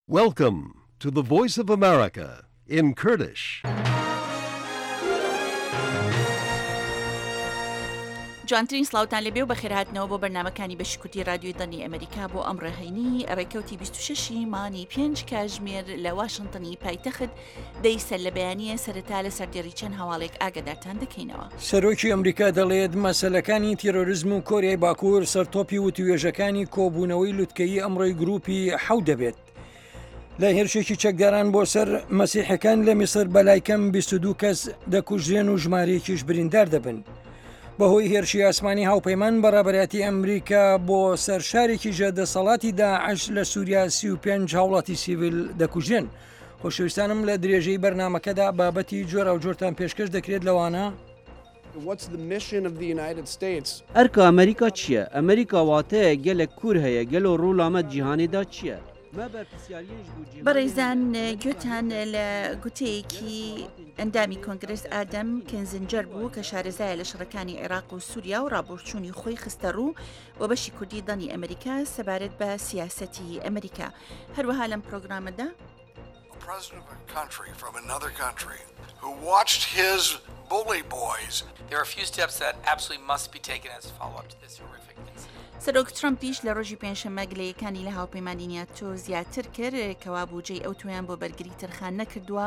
Welcome to the Voice of America in Kurdish. جوانترین سڵاوتان لێبێ و بەخێرهاتنەوە بۆ بەرنمەکانی بەشی کوردی رادیۆی دەنگی ئەمریکا بۆ ئەمڕۆ هەینی ڕێکەوتی 26 مانگی پێنج کاژمێر لە واشنتنی پایتەخت دەی سەر لە بەیانییە سەرەتا لە سەردێڕی چەند هەواڵێک ئاگادارتان دەکەینەوە. سەرۆکی ئەمریکا دەڵێت مەسەلەکانی تیرۆریزم و کۆریای باکوور سەرتۆپی وتوێژەکانی کۆبوونەوەی لوتکەیی ئەمڕۆی گروپی حەوت دەبێت. لە هێرشێکی چەکداران بۆ سەر مەسیحەکان لە میسر بەلای کەم 22 کەس دەکوژرێن و ژمارەیەکیش بریندار دەبن. بەهۆی هێرشی ئاسمانی هاوپەیمان بە ڕابەرایەتی ئەمریکا بۆ سەر شارێکی ژێر دەسەڵاتی داعش لە سووریا 35 هاوڵاتی سیڤیل دەکوژرێن. خۆشەویستانم لە درێژەی بەرنامەکەدا بابەتی جۆراوجۆرتان پێشکەش دەکرێت لەوانە. ئەرکا ئەمریکا چییە؟ ئەمریکا واتەیەک گەلەک کوور هەیە گەلۆ ڕۆلا مە جیهانێ دا چییە؟ بەڕێزان گوێتان لە گوتەیەکی ئەندامی کۆنگرس ئادەم کینزنجەر بوو کە شارەزایە لە شەڕەکانی عێراق و سووریا و ڕابۆچوونی خۆی خستە ڕوو بۆ بەشی کوردی دەنگی ئەمریکا سەبارەت بە سیاسەتی ئەمریکا هەروەها لەم پرۆگرامەدا. سەرۆک ترەمپیش لە ڕۆژی پێنجشەممە گلەیەکانی لە هاوپەیمانی ناتۆ زیاتر کرد کەوا بوجەی ئەوتۆیان بۆ بەرگری تەرخان نەکردووە،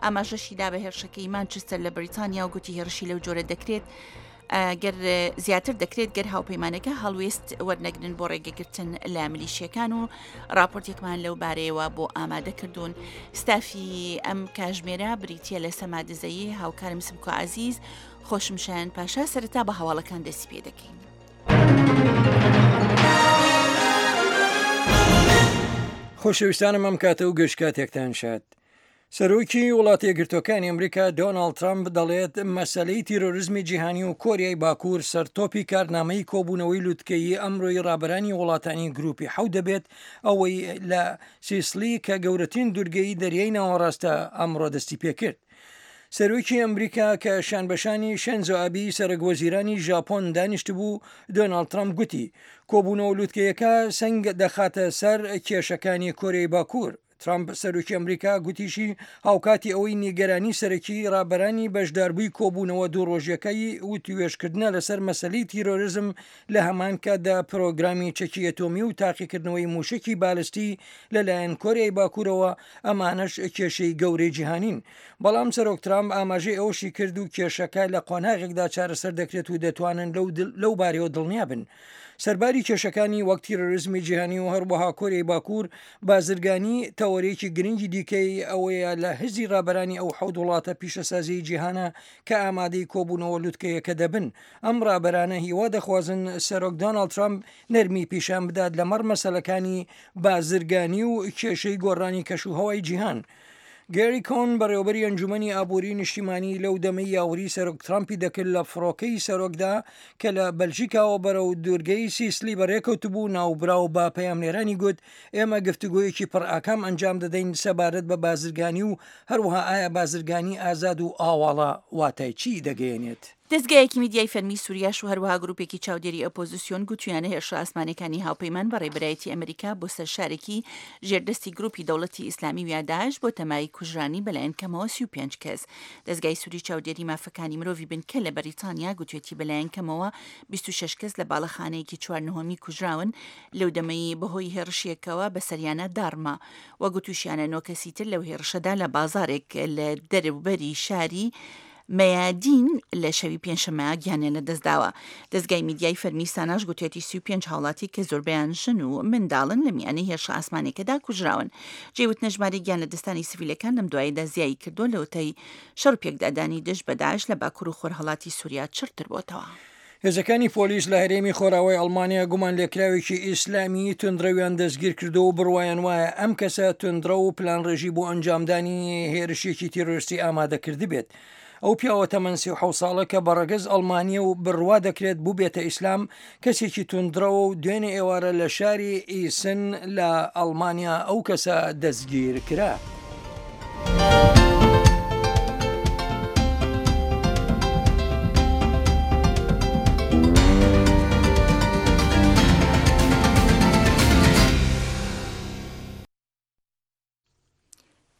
ئاماژەشی دا بە هێرشەکەی مانچستەر لە بەریتانیا و گوتی هێرشی لەو جۆرە دەکرێت گەر زیاتر دەکرێت گەر هاوپەیمانەکە هەڵوێست وەرنەگرن بۆ ڕێگەگرتن لە ملیشیەکان و راپۆرتێکمان لەو بارەیەوە بۆ ئامادە کردوون ستافی ئەم کاژمێرە بریتە لە سەما دزەیی هاوکارم سمکۆ عزیز خۆشم شایان پاشا سەرەتا بە هەواڵەکان دەستی پێ دەکەین. خۆشەویستانم ئەم کاتە و گشت کاتێکتان شاد. سەرۆکی وڵاتە یەکگرتووەکانی ئەمریکا دۆناڵد ترەمپ دەڵێت مەسەلەی تیرۆریزمی جیهانی و کۆریای باکوور سەرتۆپی کارنامەی کۆبوونەوەی لوتکەیی ئەمرۆی ڕابەرانی وڵاتانی گروپی حەوت دەبێت ئەوەی لە سیسلی کە گەورەترین دورگەی دەریای ناوەڕاستە ئەمڕۆ دەستی پێکرد. سەرۆکی ئەمریکا کە شانبەشانی شێنزۆ ئابی سەرەک وەزیرانی ژاپۆن دانیشتبوو، دۆناڵد ترەمپ گوتی، کۆبوونەوە لوتکەیەکە سەنگ دەخاتە سەر کێشەکانی کۆریای باکوور. ترەمپ، سەرۆکی ئەمریکا گوتیشی، هاوکاتی ئەوەی نیگەرانی سەرەکیی ڕابەرانی بەشداربووی کۆبوونەوە دوو ڕۆژیەکەی وتووێژکردنە لەسەر مەسەلەی تیرۆریزم، لە هەمان کاتدا پرۆگرامی چەکی ئەتۆمی و تاقیکردنەوەی مووشەکی بالستی لەلایەن کۆریای باکوورەوە، ئەمانەش کێشەی گەورەی جیهانین. بەڵام سەرۆک ترامپ ئاماژەی ئەوەشی کرد و کێشەکە لە قۆناغێکدا چارەسەر دەکرێت و دەتوانن لەو بارەیەوە دڵنیا بن. سەرباری کێشەکانی وەک تیرۆریزمی جیهانی و هەروەها کۆریای باکوور، بازرگانی تەوەرێکی گرنگی دیکەی ئەوەیە لە هزری ڕابەرانی ئەو حەوت وڵاتە پیشەسازیی جیهانە کە ئامادەی کۆبوونەوە لوتکەیەکە دەبن. ئەم ڕابەرانە هیوا دەخوازن سەرۆک دۆناڵد ترەمپ نەرمی پیشان بدات لەمەڕ مەسەلەکانی بازرگانی و کێشەی گۆڕانی کەشوهەوای جیهان. گێری کۆن، بەڕێوەبەری ئەنجومەنی ئابووری نیشتیمانی لەو دەمەی یاوەری سەرۆک ترامپی دەکرد لە فڕۆکەی سەرۆکدا کە لە بەلژیکاوە بەرەو دوورگەی سیسلی بەڕێکەوتبوو، ناوبراو بە پەیامنێرانی گوت، ئێمە گفتوگۆیەکی پڕئاکام ئەنجام دەدەین سەبارەت بە بازرگانی و هەروەها ئایا بازرگانی ئازاد و ئاواڵە واتای چی دەگەیەنێت. دەزگایەکی میدیای فەرمی سوریاش و هەروەها گروپێکی چاودێری ئۆپۆزسیۆن گوتویانە هێرشە ئاسمانیەکانی هاوپەیمان بە ڕێبەرایەتی ئەمریکا بۆ سەر شارێکی ژێر دەستی گروپی دەوڵەتی ئیسلامی ویا داعش بۆتە مایەی کوژرانی بەلایەن کەمەوە 35 کەس. دەزگای سوری چاودێری مافەکانی مرۆڤی بنکە لە بەریتانیا گوتوێتی بەلایەن کەمەوە 26 کەس لە باڵەخانەیەکی چوار نهۆمی کوژراون لەو دەمەی بەهۆی هێڕشێکەوە بەسەریانا داڕما و گوتوشیانە نۆ کەسی تر لەو هێڕشەدا لە بازاڕێک لە دەروبەری شاری مەیادین لە شەوی پێنجشەممە گیانیان لەدەستداوە. دەزگای میدیای فەرمی ساناش گوتویەتی 35 هاوڵاتی کە زۆربەیان ژن و منداڵن لە میانەی هێرشە ئاسمانیەکەدا کوژراون. جێی وتنە ژمارەی گیانلەدەستانی سڤیلەکان لەم دوایەدا زیایی کردووە لەوەتای شەڕ و پێکدادانی دژ بە داعش لە باکور و خۆرهەڵاتی سوریا چڕتر بۆتەوە. هێزەکانی پۆلیس لە هەرێمی خۆراوای ئەڵمانیا گومانلێکراوێکی ئیسلامیی توندڕەویان دەستگیرکردووە و بڕوایان وایە ئەم کەسە توندڕەو و پلانڕێژی بۆ ئەنجامدانی هێرشێکی تیرۆریستی ئامادە کردبێت. ئەو پیاوە تەمەن 37 ساڵە کە بە ڕەگەز ئەڵمانییە و بڕوا دەکرێت بووبێتە ئیسلام، کەسێکی توندڕەوە و دوێنێ ئێوارە لە شاری ئیسن لە ئەڵمانیا ئەو کەسە دەستگیر کرا.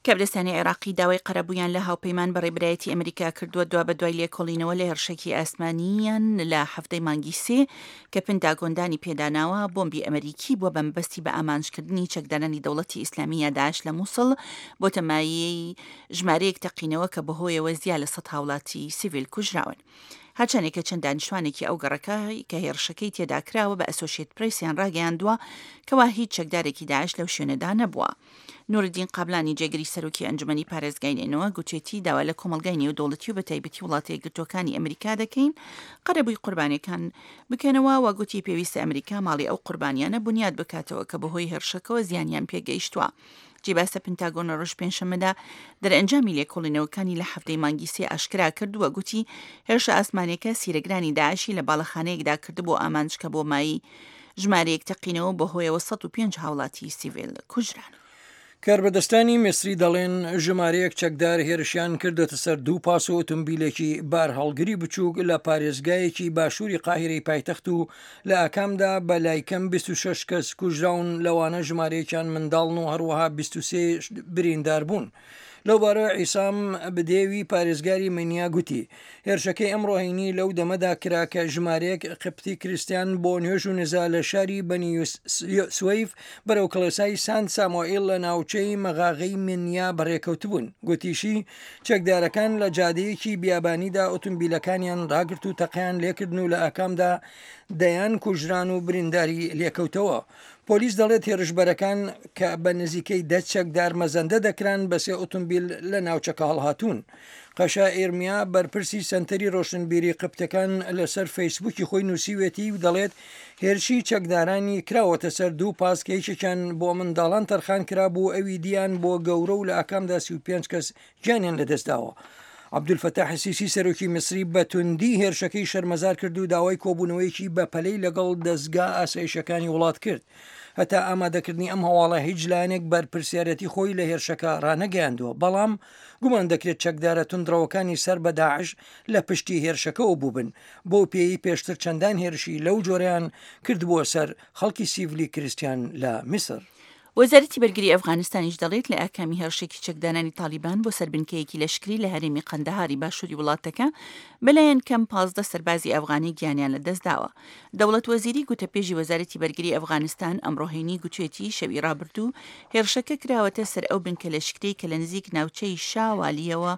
کەبرستانی عێراقی داوای قەرەبوویان لە هاوپەیمان بە ڕێبەرایەتی ئەمریکا کردووە دوابەدوای لێکۆڵینەوە لە هێڕشێکی ئاسمانییان لە حەڤدەی مانگی سێ کە پنتاگۆن دانی پێداناوە بۆمبی ئەمریکی بووە بە مەبەستی بە ئامانجکردنی چەکدارانی دەوڵەتی ئیسلامی یا داعش لە موسڵ بۆتە مایەی ژمارەیەک تەقینەوە کە بەهۆیەوە زیا لە سەد هاوڵاتی سیڤیل کوژراون. هەرچەندێکە چەند دانیشتوانێکی ئەو گەڕەکە کە هێڕشەکەی تێدا کراوە بە ئەسۆشیەت پرێسیان ڕاگەیاندووە کەوا هیچ چەکدارێکی داعش لەو شوێنەدا نەبووە. نورالدین قابلانی جێگری سەرۆکی ئەنجومەنی پارێزگای نەینەوا گوتێتی داوا لە کۆمەڵگای نێودەوڵەتی و بەتایبەتی وڵاتە یەکگرتووەکانی ئەمریکا دەکەین قەرەبووی قوربانیەکان بکەنەوە و گوتی پێویستە ئەمریکا ماڵی ئەو قوربانیانە بونیاد بکاتەوە کە بەهۆی هێرشەکەوە زیانیان پێگەیشتووە. جێی باسە پنتاگۆن لە ڕۆژ پێنجشەممەدا دەرئەنجامی لێکۆڵینەوەکانی لە حەڤدەی مانگی سێ ئاشکرا کرد و گوتی هێرشە ئاسمانیەکە سیرەگرانی داعشی لە باڵەخانەیەکدا کردبوو ئامانج کە بۆ مایی ژمارەیەک تەقینەوە بەهۆیەوە 105 هاوڵاتی سیڤیل کوژران. کاربەدەستانی میسری دەڵێن ژمارەیەک چەکدار هێرشیان کردۆتە سەر دوو پاس و ئۆتۆمبیلێکی بارهەڵگری بچووک لە پارێزگایەکی باشووری قاهیرەی پایتەخت و لە ئاکامدا بە لایکەم 26 کەس کوژراون لەوانە ژمارەیەکیان منداڵن و هەروەها 23 بریندار بوون. لەوبارەوە عیسام بدێوی پارێزگاری مینیا گوتی، هێرشەکەی ئەمڕۆ هەینی لەو دەمەدا کرا کە ژمارەیەک قبتی کریستیان بۆ نوێژ و نزا لە شاری بەنی سوەیف بەرەو کڵێسای سانت سامۆئیل لە ناوچەی مەغاغەی مینیا بەڕێکەوتبوون. گوتیشی، چەکدارەکان لە جادەیەکی بیابانیدا ئۆتۆمبیلەکانیان ڕاگرت و تەقەیان لێکردن و لە ئاکامدا دەیان کوژران و برینداری لێکەوتەوە. پۆلیس دەڵێت هێرشبەرەکان کە بە نزیکەی دە چەکدار مەزەندە دەکران بە سێ ئۆتۆمبیل لە ناوچەکە هەڵهاتوون. قەشە ئیرمیا بەرپرسی سەنتەری ڕۆشنبیری قبتەکان لەسەر فەیسبووکی خۆی نووسیوێتی و دەڵێت هێرشی چەکدارانی کراوەتە سەر دوو پاس کە یەکێکیان بۆ منداڵان تەرخان کرابوو ئەوی دیان بۆ گەورە و لە ئاکامدا 35 کەس گیانیان لەدەستداوە. عەبدولفەتاح سیسی سەرۆکی میسری بە توندی هێرشەکەی شەرمەزار کرد و داوای کۆبوونەوەیەکی بەپەلەی لەگەڵ دەزگا ئاسایشەکانی وڵات کرد. هەتا ئامادەکردنی ئەم هەواڵە هیچ لایەنێک بەرپرسیارەتی خۆی لە هێرشەکە ڕانەگەیاندووە، بەڵام گومان دەکرێت چەکدارە توندڕەوەکانی سەر بە داعش لە پشتی هێرشەکەوە بووبن، بەو پێیەی پێشتر چەندان هێرشی لەو جۆرەیان کردبووە سەر خەڵکی سیڤلی کریستیان لە میسر. وەزارەتی بەرگری ئەفغانستانیش دەڵێت لە ئاکامی هێڕشێکی چەکدارانی تاڵیبان بۆ سەر بنکەیەکی لەشکری لە هەرێمی قەندەهاری باشووری وڵاتەکە بەلایەن کەم 15 سەربازی ئەفغانی گیانیان لەدەستداوە. دەوڵەت وەزیری گوتەپێژی وەزارەتی بەرگری ئەفغانستان ئەمڕۆ هەینی گوتوێتی شەوی ڕابردوو هێڕشەکە کراوەتە سەر ئەو بنکە لەشکرەی کە لە نزیک ناوچەی شا والیەوە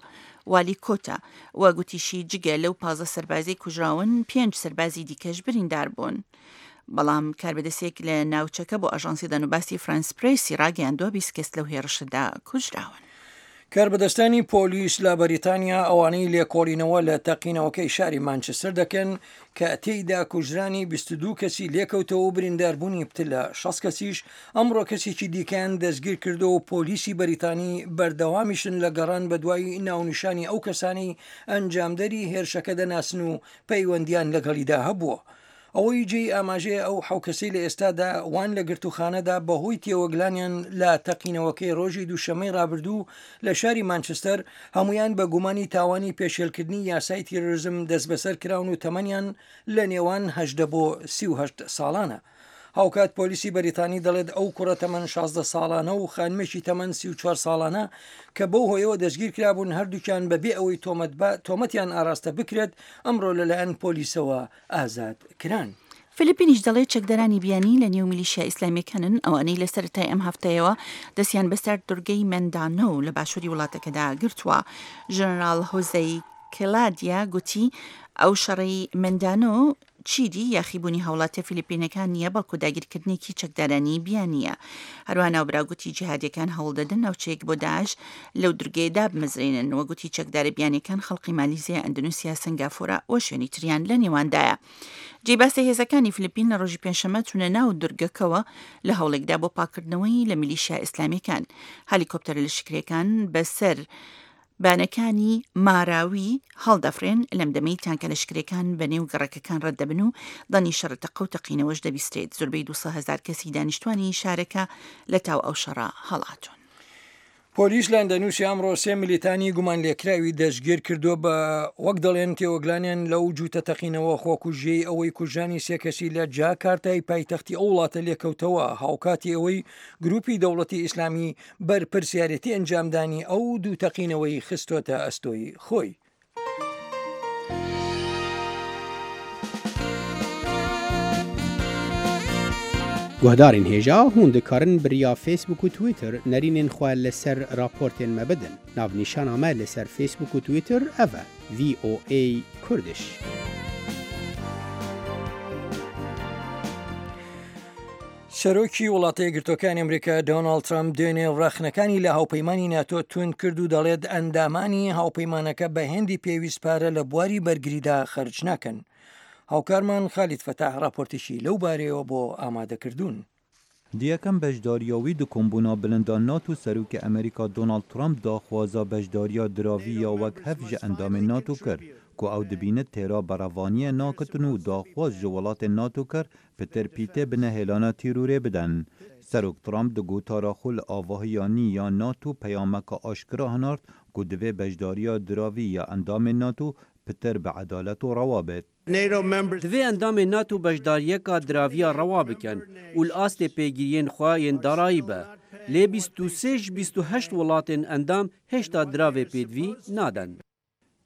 والی کۆتە و گوتیشی جگە لەو 15 سەربازەی کوژراون پێنج سەربازی دیکەش بریندار بوون. بەڵام کاربەدەستێک لە ناوچەکە بۆ ئاژانسی دەنوباسی فرانس پرێسی ڕاگەیاندووە 20 کەس لەو هێڕشەدا کوژراون. کاربەدەستانی پۆلیس لە بەریتانیا ئەوانەی لێکۆڵینەوە لە تەقینەوەکەی شاری مانچستەر دەکەن کە تێیدا کوژرانی 22 کەسی لێکەوتەوە و برینداربوونی پتر لە 60 کەسیش ئەمڕۆ کەسێکی دیکەیان دەستگیر کردەوە و پۆلیسی بەریتانی بەردەوامیشن لە گەڕان بەدوای ناونیشانی ئەو کەسانەی ئەنجامدەری هێرشەکە دەناسن و پەیوەندیان لەگەڵیدا هەبووە. ئەوەی جێی ئاماژەیە ئەو حەو کەسەی لە ئێستادا وان لە گرتووخانەدا بەهۆی تێوەگلانیان لە تەقینەوەکەی ڕۆژی دووشەممەی ڕابردوو لە شاری مانچستەر هەموویان بە گومانی تاوانی پێشێلکردنی یاسای تیرۆریزم دەستبەسەر کراون و تەمەنیان لە نێوان 18 بۆ 38 ساڵانە. هاوکات پۆلیسی بەریتانی دەڵێت ئەو کوڕە تەمەن 16 ساڵانە و خانمێکی تەمەن 34 ساڵانە کە بەو هۆیەوە دەستگیر کرابوون هەردووکیان بەبێ ئەوەی تۆمەتیان ئاراستە بکرێت ئەمڕۆ لەلایەن پۆلیسەوە ئازاد کران. فلیپینیش دەڵێت چەکدارانی بیانی لە نێو میلیشیا ئیسلامییەکانن ئەوانەی لە سەرەتای ئەم هەفتەیەوە دەستیان بەسەر دورگەی مەندانۆ لە باشووری وڵاتەکەدا گرتووە. ژەنەراڵ هۆزەی کلادیا گوتی ئەو شەڕەی مەندانۆ چیدی یاخیبوونی هاوڵاتیە فیلیپینەکان نییە بەڵکو داگیرکردنێکی چەکدارانی بیانییە. هەروەها ناوبراو گوتی جیهادیەکان هەوڵدەدەن ناوچەیەک بۆ داعش لەو دورگەیە دابمەزرێنن و گوتی چەکدارە بیانیەکان خەڵقی مالیزیا، ئەندونوسیا، سەنگافورە و شوێنی تریان لە نێواندایە. جێی باسە هێزەکانی فلیپین لە ڕۆژی پێنجشەممە چوونە ناو دورگەکەوە لە هەوڵێکدا بۆ پاککردنەوەی لە میلیشیا ئیسلامیەکان. هەلیکۆپتەرە لەشکریەکان بەسەر بانەکانی ماراوی هەڵدەفرێن، لەم دەمەی تانکە لەشکرێکان بە نێو گەڕەکەکان ڕەت دەبن و دەنگی شەڕە تەقە و تەقینەوەش دەبیسترێت، زۆربەی 200 هەزار کەسی دانیشتوانی شارەکە لە تاو ئەو شەڕە هەڵاتوون. پۆلیس لە ئەندەنوسیا ئەمڕۆ سێ ملیتانی گومانلێکراوی دەستگیر کردووە بە وەک دەڵێن تێوەگلانیان لەو جووتە تەقینەوە خۆکوژیەی ئەوەی کوژرانی سێ کەسی لە جاکارتای پایتەختی ئەو وڵاتە لێکەوتەوە هاوکاتی ئەوەی گروپی دەوڵەتی ئیسلامی بەرپرسیارێتی ئەنجامدانی ئەو دوو تەقینەوەی خستۆتە ئەستۆی خۆی. Guhdarên hêja hûn dikarin bi riya Facebook û Twitter nerînên xwe li ser raportên me bidin. Navnîşana me li ser Facebook û Twitter ev e, VOA Kurdish. سەرۆکی وڵاتە یەکگرتووەکانی ئەمریکا دۆناڵد ترەمپ دوێنێ ڕەخنەکانی لە هاوپەیمانی ناتۆ توند کرد و دەڵێت ئەندامانی هاوپەیمانەکە بە هێندی پێویست پارە لە بواری بەرگریدا خەرج ناکەن. هاوکارمان خالید فەتاح ڕاپۆرتێکی لەو بارەیەوە بۆ ئامادەکردوون. Di yekem beşdariya wî di kombûna bilinda NATO Serokê Amerîka Donald Trump daxwaza beşdariya diravî ya wek hev ji endamên NATO kir ku ew dibînit têra berevaniyê nakitin û daxwaz ji welatên NATO kir Pitir pîtê bi nehêlana tîrorê bidin. Serok Trump di gotara xwe li avahiya nî ya NATO peyameke aşkira hinart ku divê beşdariya diravî ya endamên NATO pitir bi edalet û rewa bêt. Divê endamên NATO beşdariyeka diraviya rewa bikin û li astê pêgiriyên xwe yên darayî be. Lê 23 ji 28 welatên endam hêjta diravê pêdivî naden.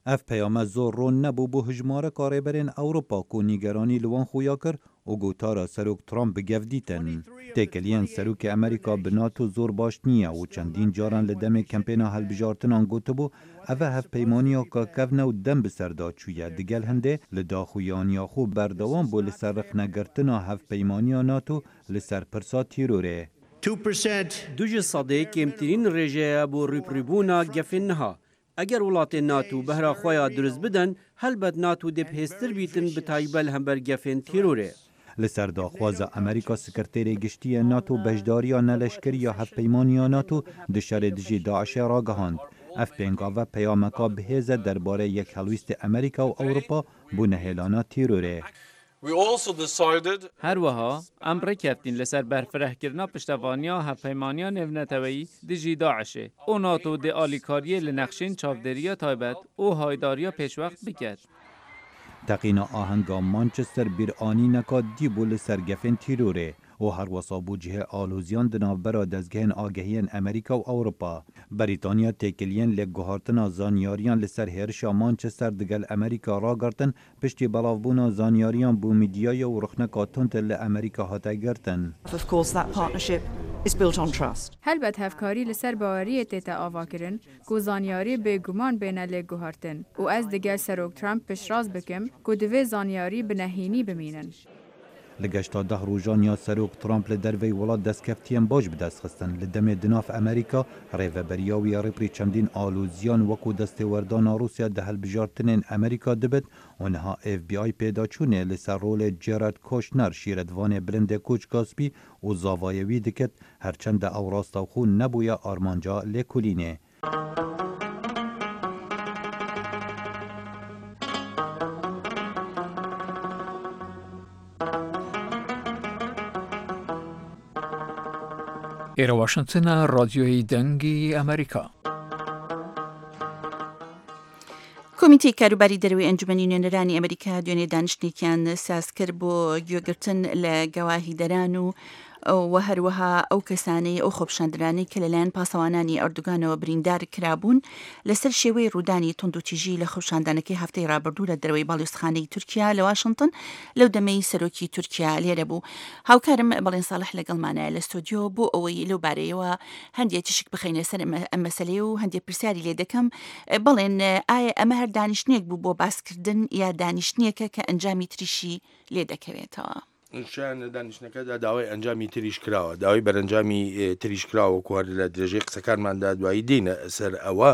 Ev peyame zor ron nebû bo hejmareka rêberên Ewropa ku nîgeranî li wan xuya kir û gotara Serok Trump bi gev dîtin. Têkiliyên Serokê Amerîka bi NATO zor baş nîye û çendîn caran li demê kempêna hilbijartinan gotibû ev e hevpeymaniyaka kevne û dem bi ser de çûye digel hindê li daxuyaniya xwe berdewam bû li ser rexnegirtina hevpeymaniya NATO li ser pirsa tîrorê. Du ji sedê kêmtirîn rêjeye bo rûbirûbûna gefên niha. Eger welatên NATO behra xwe ya dirust bidin, helbet NATO dê bihêztir bîtin bi taybet li hember gefên terorê. Li ser daxwaza Amerîka Sekreterê Giştî yê NATO beşdariya neleşkerî ya Hevpeymaniya NATO di şerê dijî DAIŞ'ê ragihand. Ev pêngave peyameka bihêz e derbarê yekhelwîstê Amerîka û Ewropa bo nehêlana terorê. Her wiha em rêkeftîn li ser berfirehkirina piştevaniya Hevpeymaniya Nêvneteweyî dijî DAIŞ'ê û NATO dê alîkariyê li nexşên çavdêriya taybet û haydariya pêşwext biket. Teqîna ahenga Manchester bîranîneka dî bû li ser gefên tîrorê û herwesa bû cihê aloziyan di navbera dezgehên agehiyên Amerîka û Ewropa. Brîtanya têkiliyên lêkguhartina zanyariyan li ser hêrişa Manchester digel Amerîka ragirtin Piştî belavbûna zanyariyan bo mîdyayê û rixneka tund li Amerîka hate girtin. Helbet hevkarî li ser baweriyê tête avakirin ku zanyarî bê guman bêne lêguhartin û ez digel Serok Trump piştrast bikim ku divê zanyarî bi nehînî bimînin. Li geşta deh rojan ya Serok Trump li derveyî welat destkeftiyên baş bi dest xistin. Li demê di nav Amerîka, rêveberiya wî ya rêberî çendîn aloziyan wekû destêwerdana Rûsya di hilbijartinên Amerîka dibit û niha FBI pêdaçûnê li ser rolê Jared Kushner, şîretvanê bilindê Koçka Spî û zavayê wî dikit, her çende ew rastewxwe nebûye armanca lêkolînê. ئێرە واشنتنە ڕادیۆی دەنگی ئەمریکا. کۆمیتەی کاروباری دەرەوەی ئەنجومەنی نوێنەرانی ئەمریکا دوێنێ دانیشتنێکیان ساز کرد بۆ گوێگرتن لە گەواهیدەران و و هەروەها ئەو کەسانەی ئەو خۆپیشاندەرانەی کە لەلایەن پاسەوانانی ئەردوگانەوە بریندار کرابوون لەسەر شێوەی ڕوودانی توندوتیژی لە خۆپیشاندانەکەی هەفتەی ڕابردوو لە دەرەوەی باڵیۆزخانەی تورکیا لە واشنتن لەو دەمەی سەرۆکی تورکیا لێرە بوو. هاوکارم بەڵێن ساڵح لەگەڵمانایە لە ستۆدیۆ بۆ ئەوەی لەو بارەیەوە هەندێ تیشک بخەینە سەر ئەم مەسەلەیە و هەندێ پرسیاری لێ دەکەم. بەڵێن ئایا ئەمە هەر دانیشتنێک بوو بۆ باسکردن یا دانیشتنێکە کە ئەنجامی تریشی لێ دەکەوێتەوە؟ شایان لە دانیشتنەکەدا داوای ئەنجامی تریش کراوە، داوای بەرەنجامی تریش کراوە وەکو هەر لە درێژەی قسەکانماندا دوایی دێینە سەر ئەوە،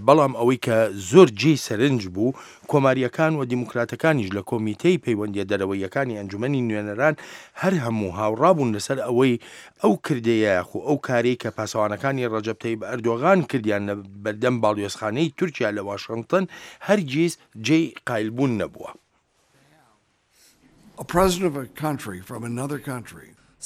بەڵام ئەوەی کە زۆر جێی سەرنج بوو کۆمارییەکان و دیموکراتەکانیش لە کۆمیتەی پەیوەندییە دەرەوەییەکانی ئەنجومەنی نوێنەران هەر هەموو هاوڕا بوون لەسەر ئەوەی ئەو کردەیە یاخو ئەو کارەی کە پاسەوانەکانی ڕەجەب تەیب ئەردۆغان کردیان لە بەردەم باڵیۆزخانەی تورکیا لە واشنتن هەرگیز جێی قایلبوون نەبووە.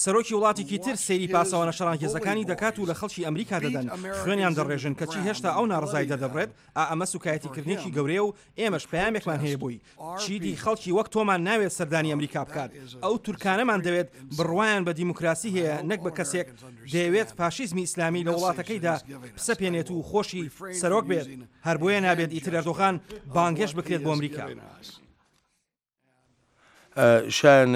سەرۆکی وڵاتێکی تر سەیری پاسەوانە شەڕانگێزەکانی دەکات و لە خەڵکی ئەمریکا دەدەن، خوێنیان دەڕێژن، کەچی هێشتا ئەو ناڕەزایی دەردەبڕێت، ئا ئەمە سوکایەتیکردنێکی گەورەیە و ئێمەش پەیامێکمان هەیە بۆی، چیدی خەڵکی وەک تۆمان ناوێت سەردانی ئەمریکا بکات، ئەو تورکانەمان دەوێت بڕوایان بە دیموکراسی هەیە نەک بە کەسێک دەیەوێت فاشیزمی ئیسلامی لە وڵاتەکەیدا بسەپێنێت و خۆشی سەرۆک بێت، هەر بۆیە نابێت ئیتر ئەردۆغان بانگهێشت بکرێت بۆ ئەمریکا. شایان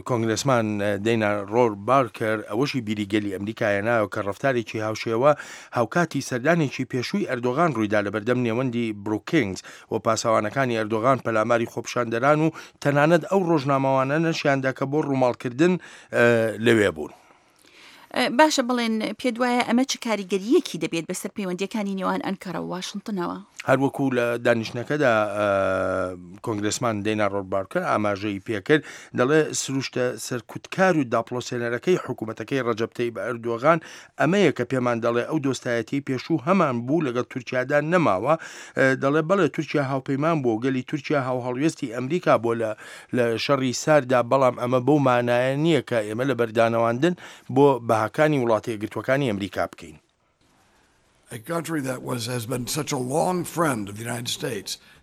کۆنگرێسمان دەینا ڕۆر بارکەر ئەوەشی بیری گەلی ئەمریکا هێنایەوە کە ڕەفتارێکی هاوشێوە هاوکاتی سەردانێکی پێشووی ئەردۆغان ڕوویدا لەبەردەم نێوەندی بروکینگز و پاسەوانەکانی ئەردۆغان پەلاماری خۆپیشاندەران و تەنانەت ئەو ڕۆژنامەوانانەشیاندا کە بۆ ڕووماڵکردن لەوێ بوون. باشە بڵێن پێت وایە ئەمە چ کاریگەرییەکی دەبێت بەسەر پەیوەندییەکانی نێوان ئەنکەرە و واشنتنەوە؟ هەروەکو لە دانیشتنەکەدا کۆنگرێسمان دەینا ڕۆربارکەر ئاماژەی پێکرد دەڵێ سروشتە سەرکوتکار و داپڵۆسێنەرەکەی حکوومەتەکەی ڕەجەب تەیب ئەردۆغان ئەمەیە کە پێمان دەڵێ ئەو دۆستایەتی پێشوو هەمان بوو لەگەڵ تورکیادا نەماوە دەڵێ بەڵێ تورکیا هاوپەیمان بوو گەلی تورکیا هاوهەڵوێستی ئەمریکا بۆ لە لە شەڕی سارددا، بەڵام ئەمە بەو مانایە نییە کە ئێمە لە بەردانەواندن بۆ بەهاکانی وڵاتە یەکگرتووەکانی ئەمریکا بکەین.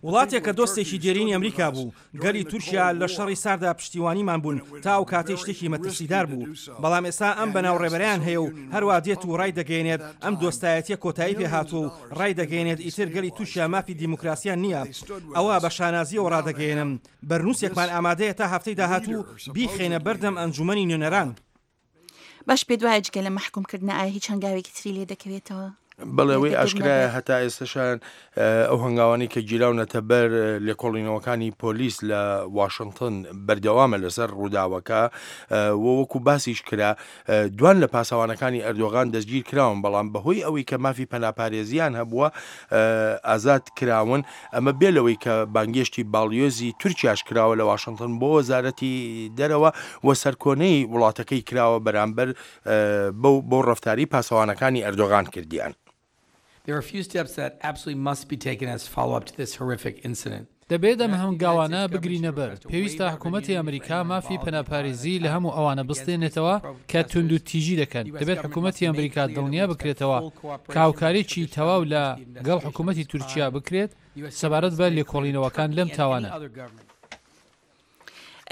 وڵاتێک کە دۆستێکی دێرینی ئەمریکا بوو، گەلی تورکیا لە شەڕی ساردا پشتیوانیمان بوون تا ئەو کاتەی شتێکی مەترسیدار بوو، بەڵام ئێستا ئەم بەناو ڕێبەرەیان هەیە و هەروا دێت و ڕایدەگەیەنێت ئەم دۆستایەتیە کۆتایی پێهاتووە و ڕایدەگەیەنێت ئیتر گەلی تورکیا مافی دیموکراسیان نییە، ئەوە بە شانازییەوە ڕادەگەیەنم بەرنووسێکمان ئامادەیە تا هەفتەی داهاتوو بیخەینە بەردەم ئەنجوومەنی نوێنەران. باش پێت وایە جگە لە مەحکوم کردنە ئایا هیچ هەنگاوێکی تری لێ دەکەوێتەوە؟ بەڵێ ئەوەی ئاشکرایە هەتا ئێستەشان ئەو هەنگاوانەی کە گیراونەتە بەر لێکۆڵینەوەکانی پۆلیس لە واشنتن بەردەوامە لەسەر ڕووداوەکە و وەکو باسیش کرا دوان لە پاسەوانەکانی ئەردۆغان دەستگیر کراون بەڵام بەهۆی ئەوەی کە مافی پەناپارێزیان هەبووە ئازاد کراون ئەمە بێ لەوەی کە بانگێشتی باڵیۆزی تورکیاش کراوە لە واشنتن بۆ وەزارەتی دەرەوە و سەرکۆنەی وڵاتەکەی کراوە بەرامبەر بەو بۆ ڕەفتاری پاسەوانەکانی ئەردۆغان کردیان. There are a few steps that absolutely must be taken as follow-up to this horrific incident. دەبێت ئەم هەنگاوانە بگرینە بەر، پێویستە حکوومەتی ئەمریکا مافی پەناپارێزی لە هەموو ئەوانە بستێنێتەوە کە توندوتیژی دەکەن، دەبێت حکوومەتی ئەمریکا دڵنیا بکرێتەوە کە هاوکاریی تەواو لە گەڵ حکوومەتی تورکیا بکرێت سەبارەت بە لێکۆڵینەوەکان لەم تاوانە.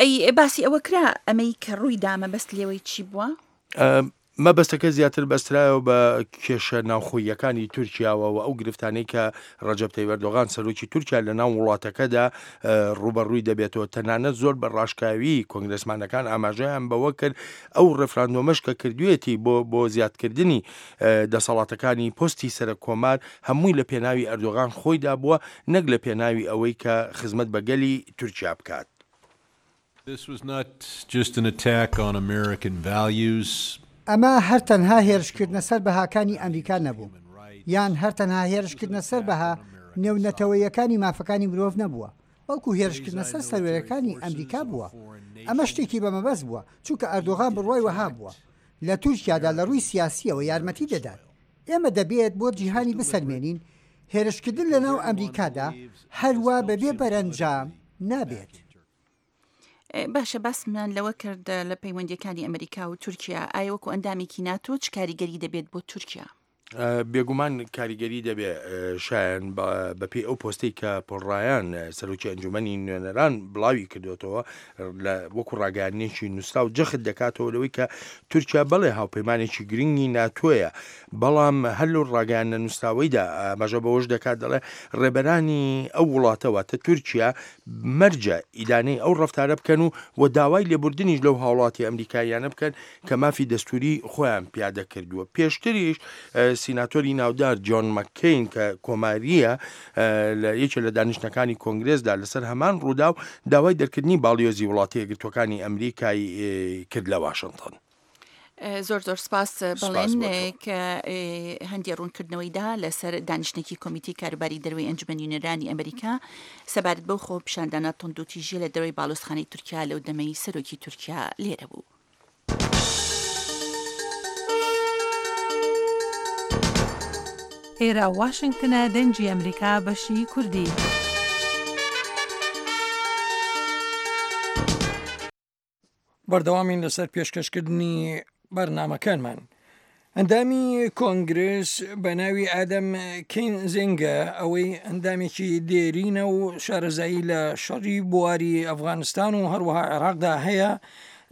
ئەی باسی ئەوە کرا ئەمەی کە ڕووی دا مەبەست لێوەی چی بووە؟ مەبەستەکە زیاتر بەسترایەوە بە کێشە ناوخۆییەکانی تورکیاوە و ئەو گرفتانەی کە ڕەجەب تەیب ئەردۆغان سەرۆکی تورکیا لە ناو وڵاتەکەدا ڕووبەڕووی دەبێتەوە تەنانەت زۆر بە ڕاشکاوی کۆنگرێسمانەکان ئاماژەیان بەوە کرد ئەو ڕێفراندۆمەش کە کردوێتی بۆ بۆ زیادکردنی دەسەڵاتەکانی پۆستی سەرەک کۆمار هەمووی لە پێناوی ئەردۆغان خۆیدا بووە نەک لە پێناوی ئەوەی کە خزمەت بە گەلی تورکیا بکات. This was not just an attack on American values. ئەمە هەر تەنها هێرشکردنە سەر بەهاکانی ئەمریکا نەبوو، یان هەر تەنها هێرشکردنە سەر بەها نێونەتەوەییەکانی مافەکانی مرۆڤ نەبووە، بەڵکو هێرشکردنە سەر سەروەرییەکانی ئەمریکا بووە. ئەمە شتێکی بە مەبەست بووە، چونکە ئەردۆغان بڕوای وەها بووە لە تورکیادا لە ڕووی سیاسییەوە یارمەتی دەدات. ئێمە دەبێت بۆ جیهانی بسەلمێنین هێرشکردن لەناو ئەمریکادا هەروا بەبێ بەرەنجام نابێت. باشە باسمان لەوە کرد لە پەیوەندیەکانی ئەمریکا و تورکیا ئایا وەکو ئەندامێکی ناتۆ چ کاریگەری دەبێت بۆ تورکیا؟ بێگومان کاریگەری دەبێ شایەن بەپێی ئەو پۆستەی کە پۆل ڕایان سەرۆکی ئەنجومەنی نوێنەران بڵاوی کردوێتەوە لە وەکو ڕاگەیاندنێکی نووسراو جەخت دەکاتەوە لەوەی کە تورکیا بەڵێ هاوپەیمانێکی گرنگی ناتۆیە بەڵام هەر لەو ڕاگەیاندنە نووسراوەیدا ئاماژە بەوەش دەکات دەڵێ ڕێبەرانی ئەو وڵاتە واتە تورکیا مەرجە ئیدانەی ئەو ڕەفتارە بکەن و و داوای لێبوردنیش لەو هاوڵاتی ئەمریکاییانە بکەن کە مافی دەستوری خۆیان پیادە کردووە. پێشتریش سیناتۆری ناودار جۆن مەککەین کە کۆمارییە لە یەکێ لە دانیشتنەکانی کۆنگرێسدا لەسەر هەمان ڕووداو داوای دەرکردنی باڵیۆزی وڵاتە یەکگرتووەکانی ئەمریکای کرد لە واشنتۆن. زۆر زۆر سپاس بەڵێن کە هەندێ ڕوونکردنەوەی دا لەسەر دانیشتێکی کۆمیتی کاروباری دەروی ئەنجومەنی نوێنەرانی ئەمریکا سەبارەت بەو خۆپیشاندانە توندوتیژیە لە دەرەوەی باڵۆزخانەی تورکیا لەو دەمەی سەرۆکی تورکیا لێرە بوو. ئێرە واشنگتنە دەنگی ئەمریکا بەشی کوردی. بەردەوامین لەسەر پێشکەشکردنی بەرنامەکانمان. ئەندامی کۆنگرس بە ناوی ئادەم کینزینگە ئەوەی ئەندامێکی دێرینە و شارەزایی لە شەڕی بواری ئەفغانستان و هەروەها عێراقدا هەیە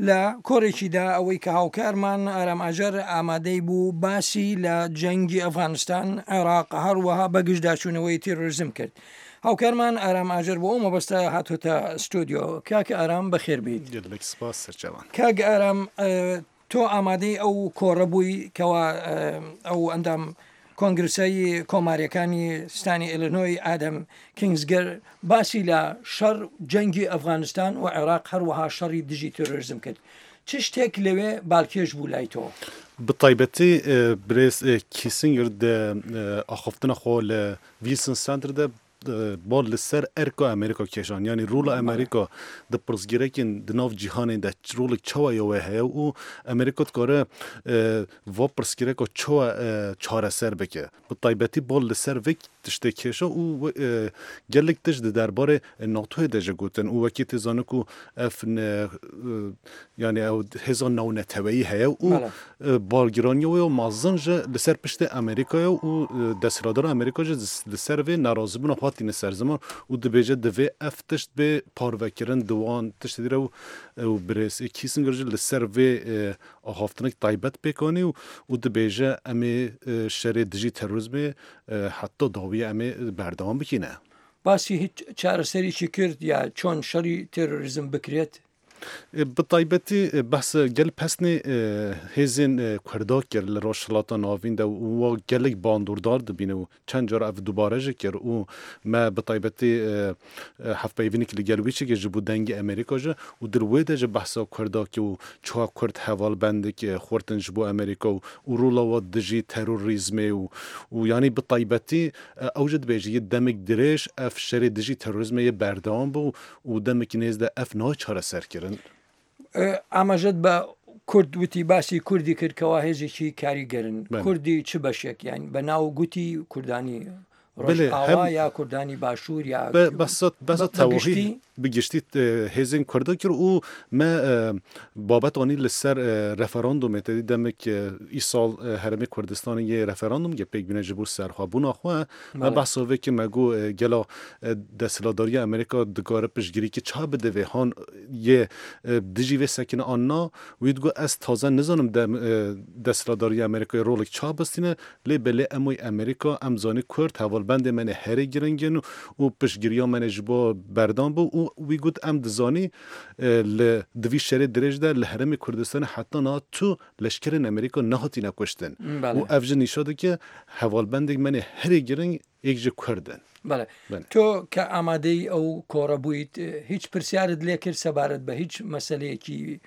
لە کۆرێکیدا ئەوەی کە هاوکارمان ئارام ئاجەر ئامادەی بوو باسی لە جەنگی ئەفغانستان عێراق هەروەها بەگژداچوونەوەی تیرۆریزم کرد. هاوکارمان ئارام ئاجەر بۆ ئەو مەبەستە هاتۆتە ستۆدیۆ. کاک ئارام بەخێر بێیت. گەلێک سپاس سەرچاوان. کاک ئارام تۆ ئامادەی ئەو کۆڕە بووی کەوا ئەو ئەندام کۆنگرسەی کۆماریەکانی ستانی ئیلینۆی ئادەم کینگزگەر باسی لە شەڕ جەنگی ئەفغانستان و عێراق هەروەها شەڕی دژی تێرۆریزم کرد. چ شتێک لەوێ بالکێش بوو لای تۆ؟ بە تایبەتی برێز کیسنگر دە ئاخافتنا خۆ لە ویلسن سەنتەر دە بال li ser erka Amerîka kêşan yanî rola Amerîka di pirsgirêkên di nav cîhanê de rolek çawa ya wê heye û Amerîka dikare va pirsgirêka çawa çareser bike. Bi taybetî bal li ser vê tiştê kêşa û gelek tişt di derbarê NATOyê de jî gotin û wekî tê zanin ku ev yanî ew hêza navneteweyî heye û Balgiraniya wê ya mezin jî li ser piştê Amerîka ye û desthilatdara Amerîka jî li ser vê nerazîbûna xwe tîne ser ziman û dibêje divê ev tişt bê parvekirin di wan tiştê re û birêz Kissinger jî li ser vê axaftinek taybet pêk anî û dibêje em ê şerê dijî terorîzmê heta dawiyê em ê berdewam bikîne. Basî hîç çareserî kir ya çon şerî terorîzm bikirêt? Bi taybetî behsa gel pesnê hêzên Kurda kir li Rojhilata Navîn de û wa gelek bandordar dibîne û çend car ev dubare jî kir û me bi taybetî hevpeyvînek li gel wî çêkir ji bo dengê Amerîka jî û di wê de jî behsa Kurda kir û çiha Kurd hevalbendek xurt in ji bo Amerîka û û rola wa dijî terorîzmê û û yanî bi taybetî ew jî dibêje yê demek dirêj ev şerê dijî terorîzmê yê berdewam bû û demekî nêz de ev nayê çareserkirin. ئاماژەت بە کورد وتی باسی کوردی کرد کەوا هێزێکی کاریگەرن کوردی چ بەشێک یان بە ناو گوتی کوردانی ڕۆژئاوا یا کوردانی باشوور یا بەسە تەواهی بگشتی هێزên Kurda kir û me babet anî li ser referandûmê te dî demek îsal Herêmê Kurdistanê yê referandûm ge pêk bîne ji bo serxwebûna xwe Me behsa vê kir me got gelo desthilatdariya Amerîka dikare piştgirîkî ça bide vê han yê dijî vê sekine an na? Wî digot ez taze nizanim desthilatdariya Amerîkayê rolek ça bistîne lê belê em wî Amerîka em zanî Kurd hevalbendê me ne herî giring in û piştgiriya me ne ji bo berdan bû û wî got em dizanî li di vî şerê dirêj de li herêmê Kurdistanê heta niha tu Leşkerên Amerîka nehatîne kuştin û ev jî nîşa dike hevalbendên me ne herî giring yek ji Kurd in. Bele. Tö ke amadeyî ew kore bûyît hîç pirsyarت lê kir sebaret be hîç meseleyekî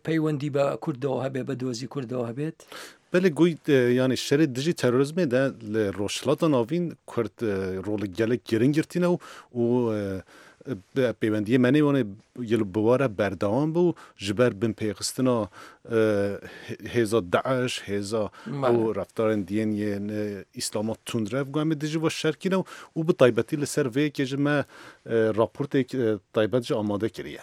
peywendî be Kurdewa hebe be dozî Kurdewa hebêt? Belê goy yanî şerê dijî terorîzmê de li Rojhilata Navîn Kurd rolek gelek giring girtîne û Pêwendiyê me nê wanê gelo bi we re berdewam bû ji ber binpêxistina hêza DAIŞ, hêza ew reftarên diyên yên Îslama tundrev ku em ê dijî we şer kîne û bi taybetî li ser vê yekê jî me raportêk taybet jî amade kiriye.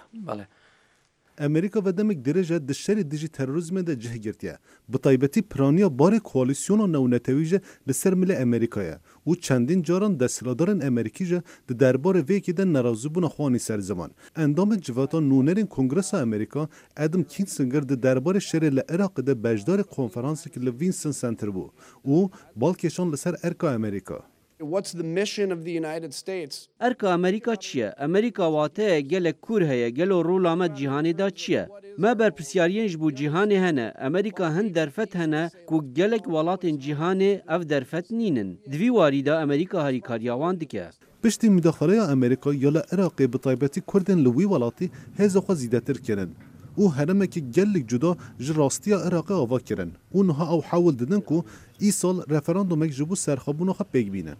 Amerîka ve demek dirêj e di şerê dijî terorîzmê de cih girtiye. Bi taybetî piraniya barê koalîsyona navnetewî jî li ser milê Amerîka ye û çendîn caran desthilatdarên Amerîkî jî di derbarê vê yekê de nerazîbûna xwe anî ser ziman. Endamê Civata Nûnerên Kongresa Amerîka Adam Kinzinger di derbarê şerê li Iraqê de beşdarê konferansek li Vinson Center bû û bal kêşand li ser erka Amerîka. What's the mission of the United States? Erka Amerîka çi ye? Amerîka wateyek gelek kûr heye, gelo rola me di cîhanê de çi ye? Me berpirsyariyên ji bo cîhanê hene, Amerîka hin derfet hene ku gelek welatên cîhanê ev derfet nînin. Di vî warî de Amerîka harîkariya wan dike. Piştî mudaxaleya Amerîka ya li Iraqê bi taybetî Kurdên li wî welatî hêza xwe zîdetir kirin û heremekî gelek cuda ji rastiya Iraqê ava kirin û niha ew hewl didin ku Îsal referandumek ji bo serxwebûna xwe pêk bînin.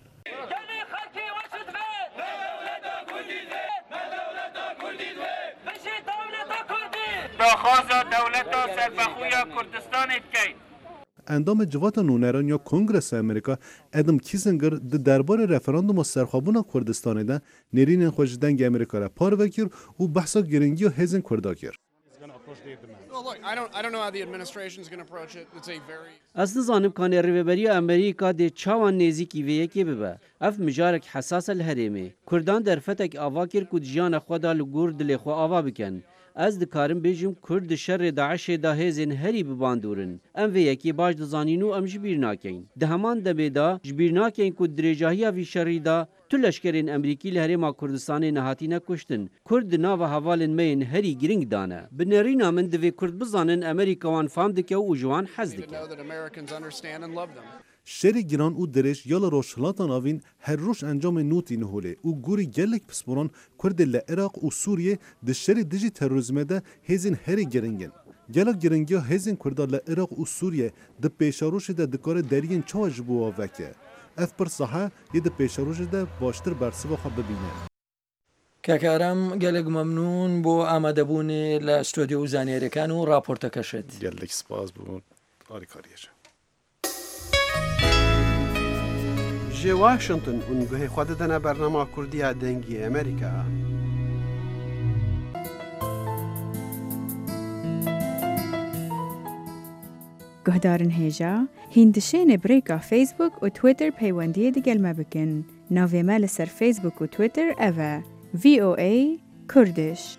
Daxwaza dewleta serbexwe ya Kurdistanê dikeyn. Endamê Civata Nûneran ya Kongresa Amerîka Adam Kinzinger di derbarê referanduma serxwebûna Kurdistanê de nêrînên xwe ji Dengê Amerîka re parve kir û behsa giringiya hêzên Kurda kir. Ez nizanim kanê rêveberiya Amerîka dê çawa nêzîkî vê yekê bibe. Ev mijarek hesas e li herêmê. Kurdan derfetek ava kir ku di jiyana xwe de li gor dilê xwe ava bikin. Ez dikarim bêjim Kurd di şerê DAIŞ'ê de hêzên herî bi bandor in. Em vê yekê baş dizanîn û em ji bîr nakeyn. Di heman demê de ji bîr nakeyn ku di dirêjahiya vî şerî de tu leşkerên Emrîkî li Herêma Kurdistanê nehatîne kuştin. Kurd di nava hevalên me yên herî giring de ne. Bi nêrîna min divê Kurd bizanin Emerîka wan fam dike û ji wan hez dike. Şerê giran û dirêj ya li Rojhilata Navîn her roj encamên nû tîne holê û gorî gelek pisporan Kurdê li Iraq û Sûriyê di şerê dijî terorîzmê de hêzên herî giring in. Gelo giringiya hêzên Kurda li Iraq û Sûriyê di pêşerojê de dikare deriyên çawa ji bo wan veke? Ev pirsa he yê di pêşerojê de baştir bersiva xwe bibîne. کاک ئارام گەلەک مەمنون بۆ ئامادەبوونێ لە ستۆدیۆ و زانیاریەکان و ڕاپۆرتەکەشت. گەلەک سپاس بۆ ئاریکاریەکە. Ji Washington hûn guhê xwe didine bernama Kurdî ya Dengê Amerîka. Guhdarin hêja, hîn dişênê bi rêka Facebook û Twitter peywendiyê digel me bikin. Navê me li ser Facebook û Twitter ev e, VOA Kurdish.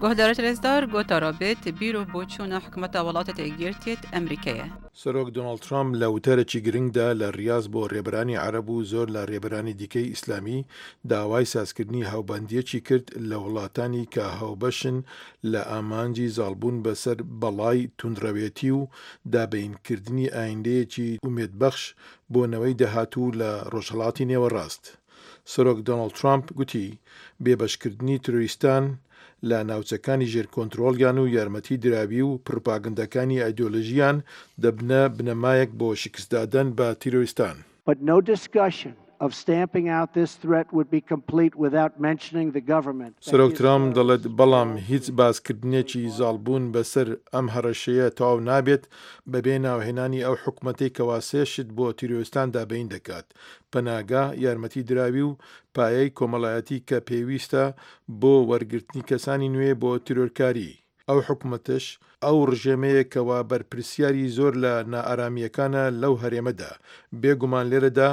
Guhdarê rêzdar gotara bêt bîr û boçûna hikûmeta welatê Yekgirtiyê Emrîkê ye. سەرۆک دۆناڵد ترامپ لە وتارێکی گرنگدا لە ریاز بۆ رێبەرانی عەرەب و زۆر لە رێبەرانی دیکەی ئیسلامی داوای سازکردنی هاوبەندییەکی کرد لە وڵاتانی کە هاوبەشن لە ئامانجی زاڵبوون بەسەر بەڵای توندڕەوێتی و دابەینکردنی ئایندەیەکی ئومێدبەخش بۆ نەوەی داهاتوو لە ڕۆژهەڵاتی نێوەڕاست. سەرۆک دۆناڵد ترامپ گوتی، بێبەشکردنی ترۆریستان لە ناوچەکانی ژێر کۆنترۆڵیان و یارمەتی دراوی و پڕوپاگەندەکانی ئایدۆلۆژییان دەبنە بنەمایەک بۆ شکستدادەن بە تیرۆریستان. But no discussion of stamping out this threat would be complete without mentioning the government that سەرۆک gives ترامپ terrorists دەڵێت، بەڵام هیچ باسکردنێکی زاڵبوون بەسەر ئەم هەڕەشەیە تەواو نابێت بەبێ ناوهێنانی ئەو حکومەتەی کەوا سێ شت بۆ تیرۆریستان دابەین دەکات، پەناگە، یارمەتی دراوی و پایەی کۆمەڵایەتی کە پێویستە بۆ وەرگرتنی کەسانی نوێ بۆ تیرۆرکاری. ئەو حکومەتەش ئەو ڕژێمەیە کەوا بەرپرسیاری زۆر لە نائارامییەکانە لەو هەرێمەدا، بێ گومان لێرەدا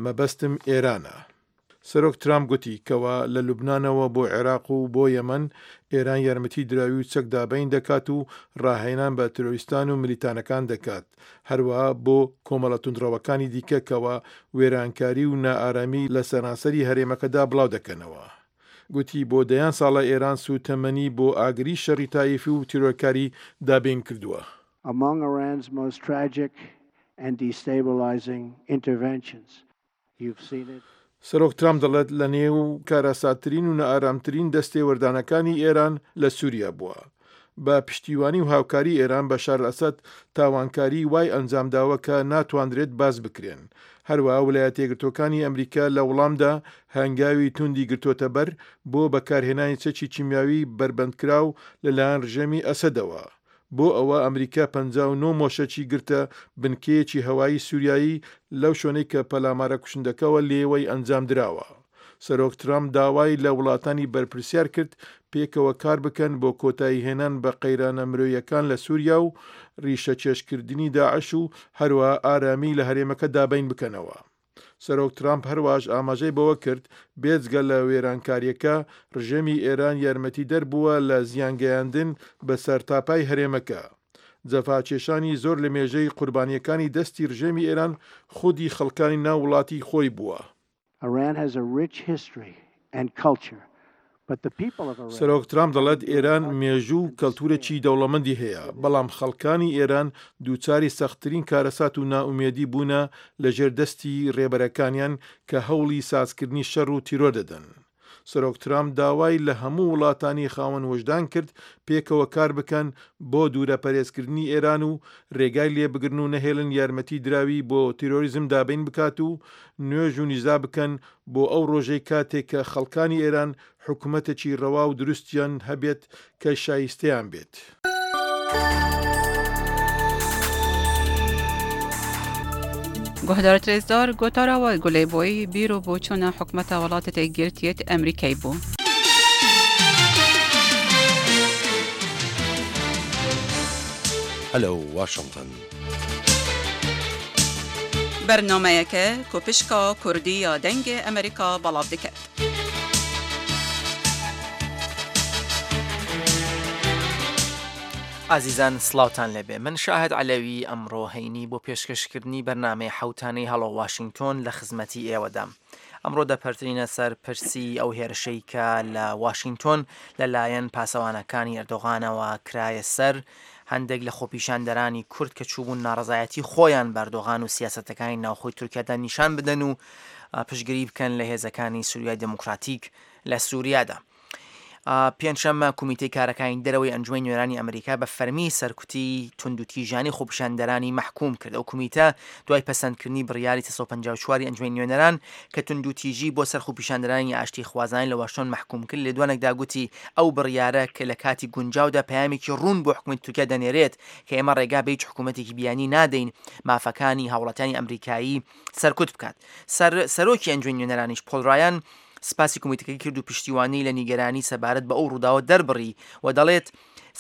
مەبەستم ئێرانە. سەرۆک ترامپ گوتی کەوا لە لوبنانەوە بۆ عێراق و بۆ یەمەن، ئێران یارمەتی دراوی و چەک دابەین دەکات و ڕاهێنان بە ترۆریستان و ملیتانەکان دەکات، هەروەها بۆ کۆمەڵە توندڕەوەکانی دیکە کەوا وێرانکاری و نائارامی لە سەرانسەری هەرێمەکەدا بڵاو دەکەنەوە. گوتی بۆ دەیان ساڵە ئێران سووتەمەنی بۆ ئاگری شەڕی تایفی و تیرۆرکاری دابین کردووە. Among Iran's most tragic and destabilizing interventions. You've seen it. سەرۆک ترامپ دەڵێت لە نێو کارەساتترین و نائارامترین دەستێوەردانەکانی ئێران لە سوریا بووە. بە پشتیوانی و هاوکاری ئێران بەشار ئەسەد تاوانکاریی وای ئەنجامداوە کە ناتواندرێت باس بکرێن. هەروەها ولایەتەیەکگرتووەکانی ئەمریکا لە وڵامدا هەنگاوی توندی گرتۆتەبەر بۆ بەکارهێنانی چەکی کیمیاوی بەربەندکراو لەلایەن ڕژێمی ئەسەدەوە. بۆ ئەوە ئەمریکا 59 مۆشەکی گرتە بنکەیەکی هەوایی سوریایی لەو شوێنەی کە پەلامارە کوشندەکەوە لێوەی ئەنجامدراوە. سەرۆک ترامپ داوای لە وڵاتانی بەرپرسیار کرد پێکەوە کار بکەن بۆ کۆتاییهێنان بە قەیرانە مرۆییەکان لە سوریا و ڕیشەکێشکردنی داعش و هەروەها ئارامی لە هەرێمەکە دابین بکەنەوە. سەرۆک ترامپ هەروەهاش ئاماژەی بەوە کرد، بێجگە لە وێرانکارییەکە، ڕژێمی ئێران یارمەتیدەر بووە لە زیانگەیاندن بە سەرتاپای هەرێمەکە. جەفاکێشانی زۆر لە مێژەی قوربانییەکانی دەستی ڕژێمی ئێران خودی خەڵکانی ناو وڵاتی خۆی بووە. Iran has a rich history and culture, but the people of Iran. سەرۆک ترامپ دەڵێت ئێران مێژوو و کەلتورێکی دەوڵەمەندی هەیە، بەڵام خەڵکانی ئێران دووچاری سەختترین کارەسات و نائومێدی بوونە لەژێر دەستی رێبەرەکانیان کە هەوڵی سازکردنی شەڕ و تیرۆر دەدەن. سەرۆک ترامپ داوای لە هەموو وڵاتانی خاوەن وژدان کرد پێکەوە کار بکەن بۆ دوورەپەرێزکردنی ئێران و رێگای لێبگرن و نەهێڵن یارمەتی دراوی بۆ تیرۆریزم دابین بکات و نوێژ و نیزا بکەن بۆ ئەو ڕۆژەی کاتێک کە خەڵکانی ئێران حکومەتێکی ڕەوا و دروستیان هەبێت کە شایستەیان بێت. Guhdarê rêzdar gotara we gulê boyî bîr û boçûna hikûmeta welatê têkgirtiyê Emrîkayê bû. Hello Washington. Bernameyeke ku pişka Kurdî ya Dengê Amerîka belav diket. ئازیزان سڵاوتان لێبێ من شاهد عەلەوی ئەمڕۆ هەینی بۆ پێشکەشکردنی بەرنامەی حەوتانەی هەڵۆ واشینگتۆن لە خزمەتی ئێوەدام. ئەمڕۆ دەپەرترینە سەر پرسی ئەو هێرشەی کە لە واشینگتۆن لەلایەن پاسەوانەکانی ئەردۆغانەوە کرایە سەر هەندێک لە خۆپیشاندەرانی کورد کە چووبوون ناڕەزایەتی خۆیان بە ئەردۆغان و سیاسەتەکانی ناوخۆی تورکیادا نیشان بدەن و پشتگیری بکەن لە هێزەکانی سوریای دێموکراتیک لە سوریادا. پێنجشەممە کومیتەی کارەکانی دەرەوەی ئەنجومەنی نوێنەرانی ئەمریکا بە فەرمی سەرکوتی توندوتیژانەی خۆپیشاندەرانی مەحکوم کرد. ئەو کومیتە دوای پەسەندکردنی بڕیاری 354 ی ئەنجومەنی نوێنەران کە توندوتیژی بۆ سەر خۆپیشاندەرانی ئاشتیخوازانەی لە واشنتۆن مەحکوم کرد، لێدوانێکدا گوتی ئەو بڕیارە کە لە کاتی گونجاودا پەیامێکی ڕوون بۆ حکومەتی تورکیا دەنێرێت کە ئێمە ڕێگا بە هیچ حکومەتێکی بیانی نادەین مافەکانی هاوڵاتیانی ئەمریکایی سەرکوت بکات. سەر سەرۆکی ئەنجومەنی نوێنەرانیش پۆل ڕایان سپاسی کۆمیتەکەی کرد و پشتیوانی لە نیگەرانی سەبارەت بە ئەو ڕووداوە دەربڕی و دەڵێت،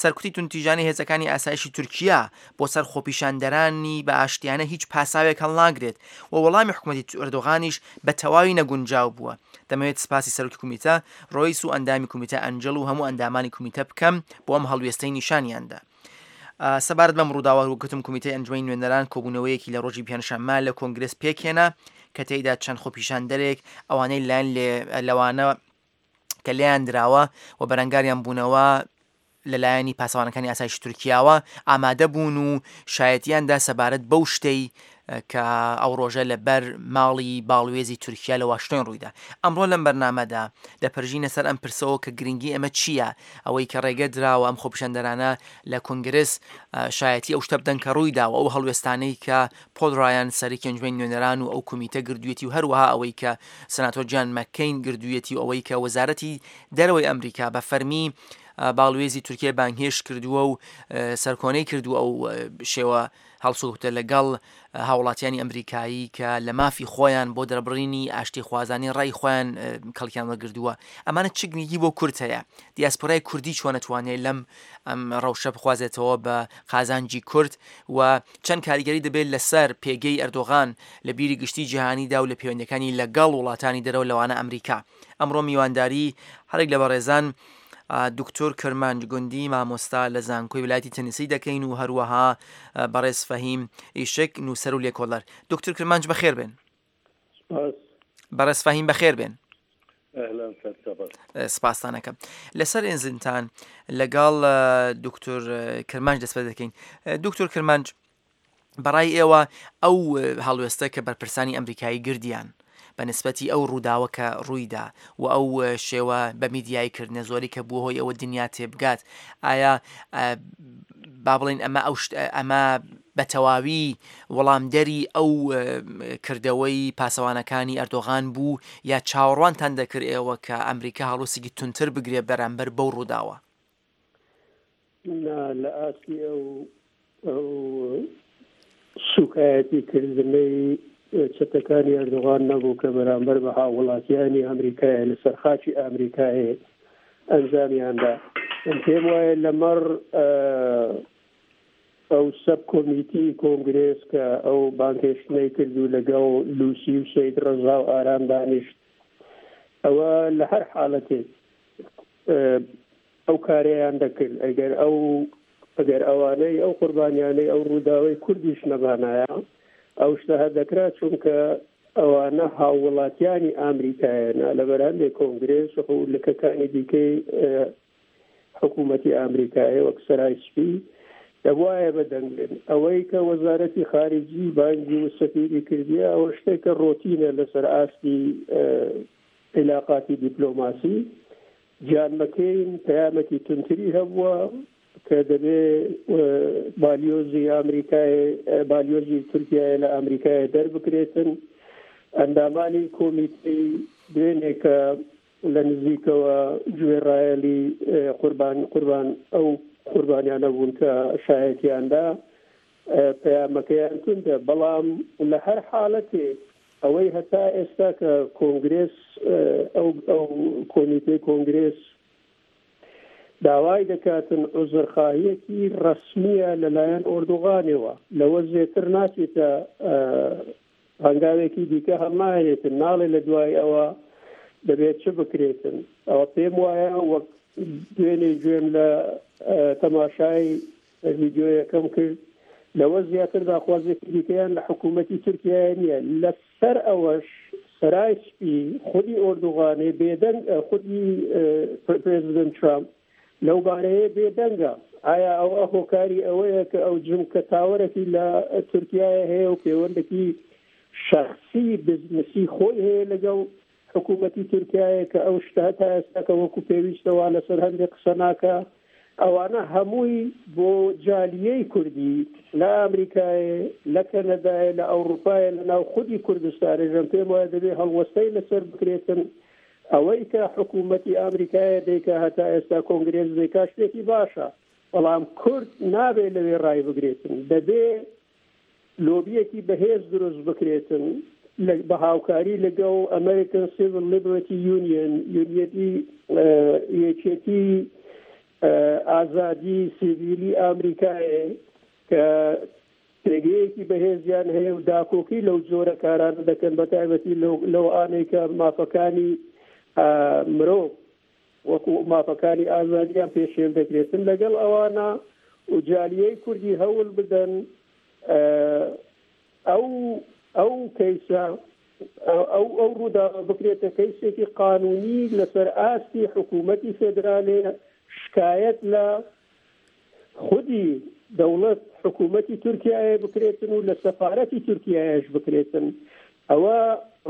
سەرکوتی توندوتیژانەی هێزەکانی ئاسایشی تورکیا بۆ سەر خۆپیشاندەرانی بە ئاشتیانە هیچ پاساوێک هەڵناگرێت و وەڵامی حکومەتی ئەردۆغانیش بە تەواوی نەگونجاو بووە. دەمەوێت سپاسی سەرۆکی کومیتە ڕۆیس و ئەندامی کومیتە ئەنجڵ و هەموو ئەندامانی کومیتە بکەم بۆ ئەم هەڵوێستەی نیشانیان دا. سەبارەت بەم ڕووداوە وەک گوتم کومیتەی ئەنجومەنی نوێنەران کۆبوونەوەیەکی لە ڕۆژی پێنجشەممە لە کۆنگرێس پێکهێنا کە تێیدا چەند خۆپیشاندەرێک ئەوانەی لایەن لێ لەوانە کە لێیان دراوە و بەرەنگاریان بوونەوە لەلایەنی پاسەوانەکانی ئاسایشی تورکیاوە ئامادە بوون و شایەتیان دا سەبارەت بەو شتەی کە ئەو ڕۆژە لە بەر ماڵی باڵوێزی تورکیا لە واشنتۆن ڕوویدا. ئەمڕۆ لەم بەرنامەدا دەپەرژینە سەر ئەم پرسەوە کە گرنگی ئەمە چییە؟ ئەوەی کە ڕێگە دراوە ئەم خۆپیشاندەرانە لە کۆنگرس شایەتی ئەو شتە بدەن کە ڕوویدا و ئەو هەڵوێستانەی کە پۆل ڕایان سەرەکی ئەنجومەنی نوێنەران و ئەو کومیتە گردوویەتی و هەروەها ئەوەی کە سناتۆر جان مەککەین گردوویەتی و ئەوەی کە وەزارەتی دەرەوەی ئەمریکا بە فەرمی باڵوێزی تورکیای بانگهێشت کردووە و سەرکۆنەی کردووە ئەو شێوە هەڵسوکەوتە لەگەڵ هاوڵاتیانی ئەمریکایی کە لە مافی خۆیان بۆ دەربڕینی ئاشتیخوازانەی ڕای خۆیان کەڵکیان وەرگردووە ئەمانە چ گرنگی بۆ کورد هەیە دیاسپۆرای کوردی چۆن ئەتوانێت لەم ئەم ڕەوشە بخوازێتەوە بە قازانجی کورد و چەند کاریگەری دەبێت لەسەر پێگەی ئەردۆغان لە بیری گشتی جیهانیدا و لە پەیوەندەکانی لەگەڵ وڵاتانی دەرەوە لەوانە ئەمریکا ئەمڕۆ میوانداری هەرێک لە بەڕێزان دکتۆر کرمانج گوندی مامۆستا لە زانکۆی ولایەتی تەنیسی دەکەین و هەروەها بەڕێز فەهیم ئیشک نووسەر و لێکۆڵەر. دکتۆر کرمانج بەخێر بێن. سپاس. بەڕێز فەهیم بەخێر بێن. ئەهلەن سەرچاوە. سپاستانەکەم. لەسەر ئێنزنتان لەگەڵ دکتۆر کرمانج دەست پێ دەکەین. دکتۆر کرمانج بەڕای ئێوە ئەو هەڵوێستە کە بەرپرسانی ئەمریکایی گردیان بە نسبەتی ئەو ڕووداوە کە ڕوویدا و ئەو شێوە بە میدیایی کردنە زۆری کە بووە هۆی ئەوە دنیا تێبگات ئایا با بڵێین ئەمە ئەو ئەمە بە تەواوی وەڵامدەری ئەو کردەوەی پاسەوانەکانی ئەردۆغان بوو یا چاوەڕوانتان دەکرد ئێوە کە ئەمریکا هەڵوسێکی تونتر بگرێ بەرامبەر بەو ڕووداوە؟ نا لە ئاستی ئەو ئەو سوکایەتی کردنەی چەتەکانی ئەردۆغان نەبوو کە بەرامبەر بە هاووڵاتیانی ئەمریکایە لەسەر خاکی ئەمریکایێ ئەنجامیاندا. من پێم وایە لەمەڕ ئەو سەب کۆمیتی کۆنگرێس کە ئەو بانگهێشتنەی کرد و لەگەڵ لوسی و سەید ڕەزا و ئارام دانیشت ئەوە لە هەر حاڵەتێک ئەو کارەیان دەکرد ئەگەر ئەو ئەگەر ئەوانەی ئەو قوربانیانەی ئەو ڕووداوەی کوردیش نەبانایە ئەو شتە هەر دەکرا چونکە ئەوانە هاووڵاتیانی ئامریکایەنە لەبەر هەندێک کۆنگرێس و لکەکانی دیکەی حکوومەتی ئامریکایە وەک سەرای سپی دەبوایە بە دەنگ بێن ئەوەی کە وەزارەتی خارجی بانگی و سەفیری کردیە ئەوە شتێکە ڕۆتینە لەسەر ئاستی عیلاقاتی دیپلۆماسی جان مەکەین پەیامێکی توندتری هەبووە کە دەبێ بالیۆزی ئامریکای بالیۆزی تورکیایە لە ئامریکایە دەربکرێتن ئەندامانی کۆمیتەی دوێنێ کە لە نزیکەوە گوێڕایەلی قوربان قوربان ئەو قوربانیانە بوون کە شایەتیاندا. پەیامەکەیان توندە، بەڵام لە هەر حاڵەتێک ئەوەی هەتا ئێستا کە کۆنگرێس ئەو ئەو کۆمیتەی کۆنگرێس داوای دەکاتن عوزرخواهیەکی ڕەسمییە لەلایەن ئۆردوغانەوە، لەوە زێتر ناچێتە هەنگاوێکی دیکە هەڵناهێنێتن، ناڵێ لە دوای ئەوە دەبێت چ بکرێتن. ئەوە پێم وایە وەک دوێنێ گوێم لە تەماشای ڤیدیۆیەکەم کرد، لەوە زیاتر داخوازێکی دیکەیان لە حکوومەتی تورکیایە نییە. لەسەر ئەوەش سەرای سپی خودی ئۆردوغانێ بێدەنگ خودی پرێزیدنت ترامپ لەو بارەیە بێدەنگە. ئایا ئەوە هۆکاری ئەوەیە کە ئەو جمکە تاوەرەکی لە تورکیایە هەیە و پێوەندەکی شەخسی بزنسی خۆی هەیە لەگەڵ حکوومەتی تورکیایە کە ئەو شتە تا ئێستا کە وەکو پێویستە وا لەسەر هەندێک قسە ناکا؟ ئەوانە هەمووی بۆ جالیەی کوردی لە ئامریکایێ، لە کەنەدایێ، لە ئەوڕوپایێ، لە ناو خودی کوردستانێ ژەم پێم وایە دەبێ هەڵوەستەی لەسەر بکرێتن. ئەوەی کە حکوومەتی ئامریکایە دەیکا هەتا ئێستا کۆنگرێس دەیکا شتێکی باشە بەڵام کورد نابێ لەوێ ڕایبگرێتن دەبێ لۆبیەکی بەهێز دروست بکرێتن بە هاوکاری لەگەڵ American Civil Liberty Union یونیەتی یەکێتی ئازادی سیڤیلی ئامریکایێ کە پێگەیەکی بەهێزیان هەیە و داکۆکی لەو جۆرە کارانە دەکەن بە تایبەتی لەو ئانەی کە مافەکانی مرۆڤ وەکو مافەکانی ئازادیان پێشێل دەکرێتن لەگەڵ ئەوانە و جالیەی کوردی هەول بدەن ئەو ئەو کەیسە ئەو ئەو ڕووداوە بکرێتە کەیسێکی قانونی لەسەر ئاستی حکوومەتی فێدرالێ شکایەت لە خودی دەوڵەت حکوومەتی تورکیایە بکرێتن و لە سەفارەتی تورکیایەش بکرێتن. ئەوە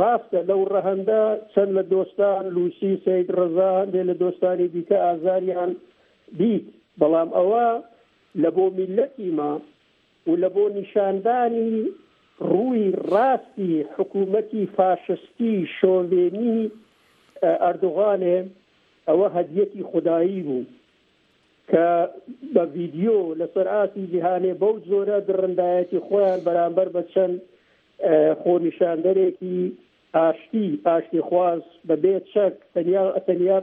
ڕاستە لەو ڕەهەندە چەند لە دۆستان لوسی سەید ڕەزا هەندێ لە دۆستانی دیکە ئازاریان دیت بەڵام ئەوە لە بۆ میللەتی مە و لە بۆ نیشاندانی ڕووی ڕاستی حکوومەتی فاشستی شۆڤێنی ئەردوغانێ ئەوە هەدیەکی خودایی بوو. کە بە ڤیدیۆ لەسەر ئاستی جیهانێ بەو جۆرە دڕندایەتی خۆیان بەرامبەر بە چەند خۆنیشاندەرێکی ئاشتی ئاشتیخواز بە بێ چەک تەنیا تەنیا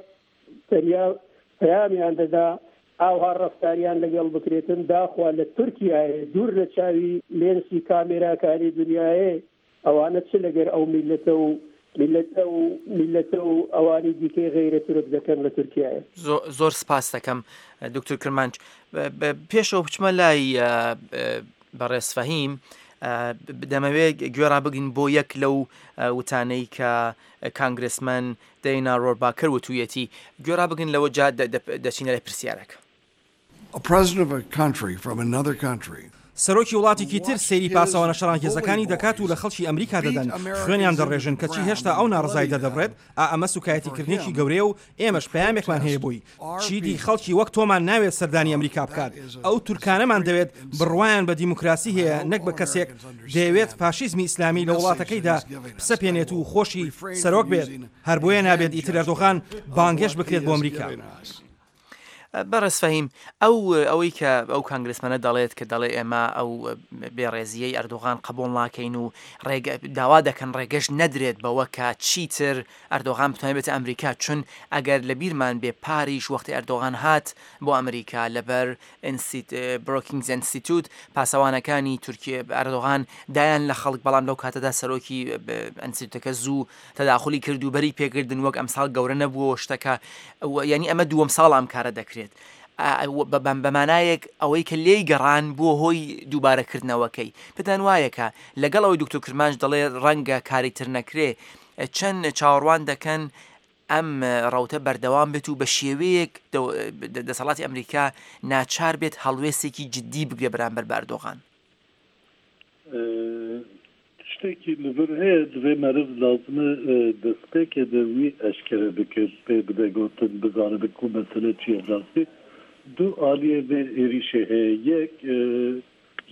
تەنیا پەیامیان دەدا ئاوها ڕەفتاریان لەگەڵ بکرێتن داخوا لە تورکیایێ دوور لە چاوی لێنسی کامێراکانی دنیایێ ئەوانە چ لەگەر ئەو میللەتە و میللەتە و میللەتە و ئەوانی دیکەی غەیرە تورک دەکەن لە تورکیایە. زۆر سپاست دەکەم دکتور کرمانج. پێشەوە بچمە لای بەڕێز فەهیم دەمەوێت گوێ ڕابگرین بۆ یەک لەو وتانەی کە کانگرسمەن دەینا ڕۆرباکەر وتوویەتی گوێ ڕابگرن لەوە جا دەچینە لای پرسیارەکە. A president of a country from another country. سەرۆکی وڵاتێکی تر سەیری پاسەوانە شەڕانگێزەکانی دەکات و لە خەڵکی ئەمریکا دەدەن، خوێنیان دەڕێژن، کەچی هێشتا ئەو ناڕەزایی دەردەبڕێت، ئا ئەمە سوکایەتیکردنێکی گەورەیە و ئێمەش پەیامێکمان هەیە بۆی، چیدی خەڵکی وەک تۆمان ناوێت سەردانی ئەمریکا بکات، ئەو تورکانەمان دەوێت بڕوایان بە دیموکراسی هەیە نەک بە کەسێک دەیەوێت فاشیزمی ئیسلامی لە وڵاتەکەیدا بسەپێنێت و خۆشی سەرۆک بێت، هەر بۆیە نابێت ئیتر ئەردۆغان بانگهێشت بکرێت بۆ ئەمریکا. بەڕێز فەهیم، ئەو ئەوەی کە ئەو کانگرسمەنە دەڵێت کە دەڵێ ئێمە ئەو بێڕێزییەی ئەردۆغان قبوڵ ناکەین و ڕێگە داوا دەکەن ڕێگەش نەدرێت بەوە کە چیتر ئەردۆغان بتوانێت بێتە ئەمریکا چون ئەگەر لە بیرمان بێ پاریش وەختی ئەردۆغان هات بۆ ئەمریکا لەبەر بروکینگز ئینستیتوت پاسەوانەکانی تورکیە ئەردۆغان دایان لە خەڵک بەڵام لەو کاتەدا سەرۆکی ئەنستیتوتەکە زوو تەداخولی کرد و بەری پێکردن وەک ئەمساڵ گەورە نەبووەوە شتەکە یعنی ئەمە دووەم ساڵ ئەم کارە دەکرێت بەمانایەک ئەوەی کە لێی گەڕان بووە هۆی دووبارەکردنەوەکەی پێتان وایە کە لەگەڵ ئەوەی دکتۆر کرمانج دەڵێ ڕەنگە کاری تر نەکرێ چەند چاوەڕوان دەکەن ئەم ڕەوتە بەردەوام بێت و بە شێوەیەک دەسەڵاتی ئەمریکا ناچار بێت هەڵوێستێکی جددی بگرێ بەرامبەر بە ئەردۆغان؟ تشتێکی لڤر هەیە دڤێ مەرڤ لازمە دەستپێکێ دە وی ئەشکەرە بکرد پێ بدە گۆتن بزانبن کو مەسەلە چیە براستی دوو ئالیێ ڤێ ئێریشێ هەیە یەک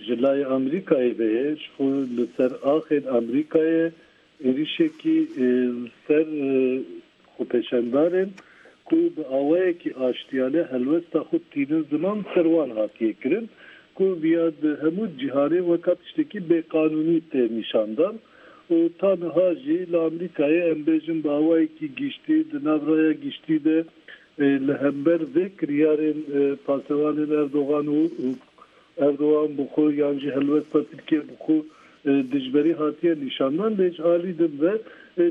ژ لایێ ئامریکایێ ڤێ هەیە ژ خو ل سەر ئاخێن ئامریکایێ ئێریشێکی ل سەر خۆپێشاندارێن کو bi awayekî aştiyane helwesta xwe tînin ziman ser wan hatiye kirin. ku viya di hemû cîhanê weka tiştekî bêqanûnî tê nîşandan û ta niha jî li Amerîkayê em bêjin bi awayekî giştî di nav raya giştî de li hember vê kiryarên pasewanên Erdogan û Erdogan bi xwe yan jî helwesta Tirkiye bi xwe dijberî hatiye nîşandan lê ji alî din ve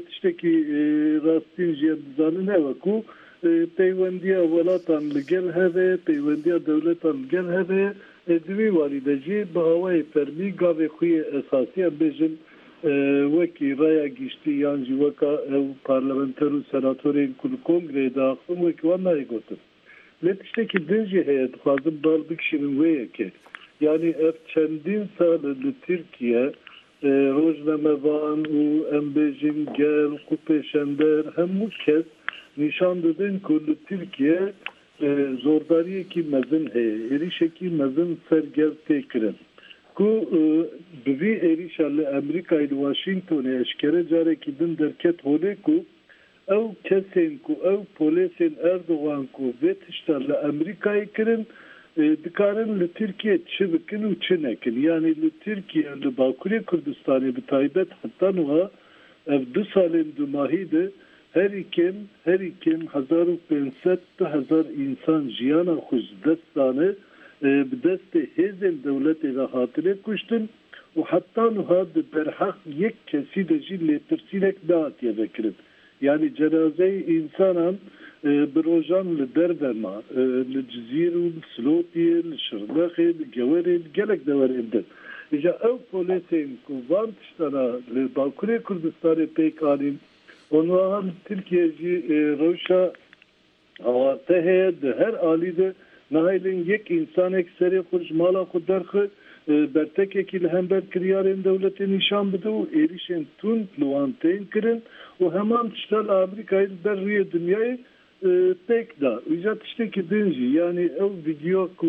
tiştekî rastîn jî em dizanin ew e ku peywendiya welatan li gel hev e, peywendiya dewletan li gel hev e. Di wî warî de jî bi awayê fermî gavê xwe yê esasî em bêjin wekî raya giştî yan jî weka ew parlamenter û senatorên ku li kongreyê diaxivin wekî wan nayê gotin. Lê tiştekî din jî heye dixwazim bal bikişînim wê yekê. Yanî ev çendîn sal e li Tirkiye rojnamevan û em bêjin gel, xwepêşender hemû kes nîşan didin ku li Tirkiye zordariyekî mezin heye, êrîşekî mezin ser gel tê kirin. Ku bi vî êrîşa li Emrîkayê li Washingtonê eşkere carekî din derket holê ku Ew kesên ku ew polêsên Erdogan ku vê tişta li Emrîkayê kirin, dikarin li Tirkiyê çi bikin û çi nekin. Yanî li Tirkiye li Bakurê Kurdistanê bi taybet heta nuha ev du salên dumahî de herî kêm herî kêm 1500 2000 însan jiyana xwe ji dest dane, bi destê hêzên dewletê ve hatine kuştin. û heta niha di derheq yek kesî de jî lêpirsînek nehatiye vekirin. Yanî cenazeyê însanan bi rojan li derve ma, li Cizîr û li Silopiyê, li Şirnexê, li Gewerê, li gelek deverên din. Îja ew polêsên ku van tiştana li Bakurê Kurdistanê pêk anîn û niha li Tirkiyeyê jî rewşa Awarte heye di her alî de nahêlin yek însanek serê xwe ji mala xwe derxe, bertekekî li hember kiryarên dewletê nîşan bide û êrîşên tund li wan tên kirin û heman tişta li Amerîkayê li ber rûyê dinyayê pêk da. Îca tiştekî din jî yanî ew vîdyoya ku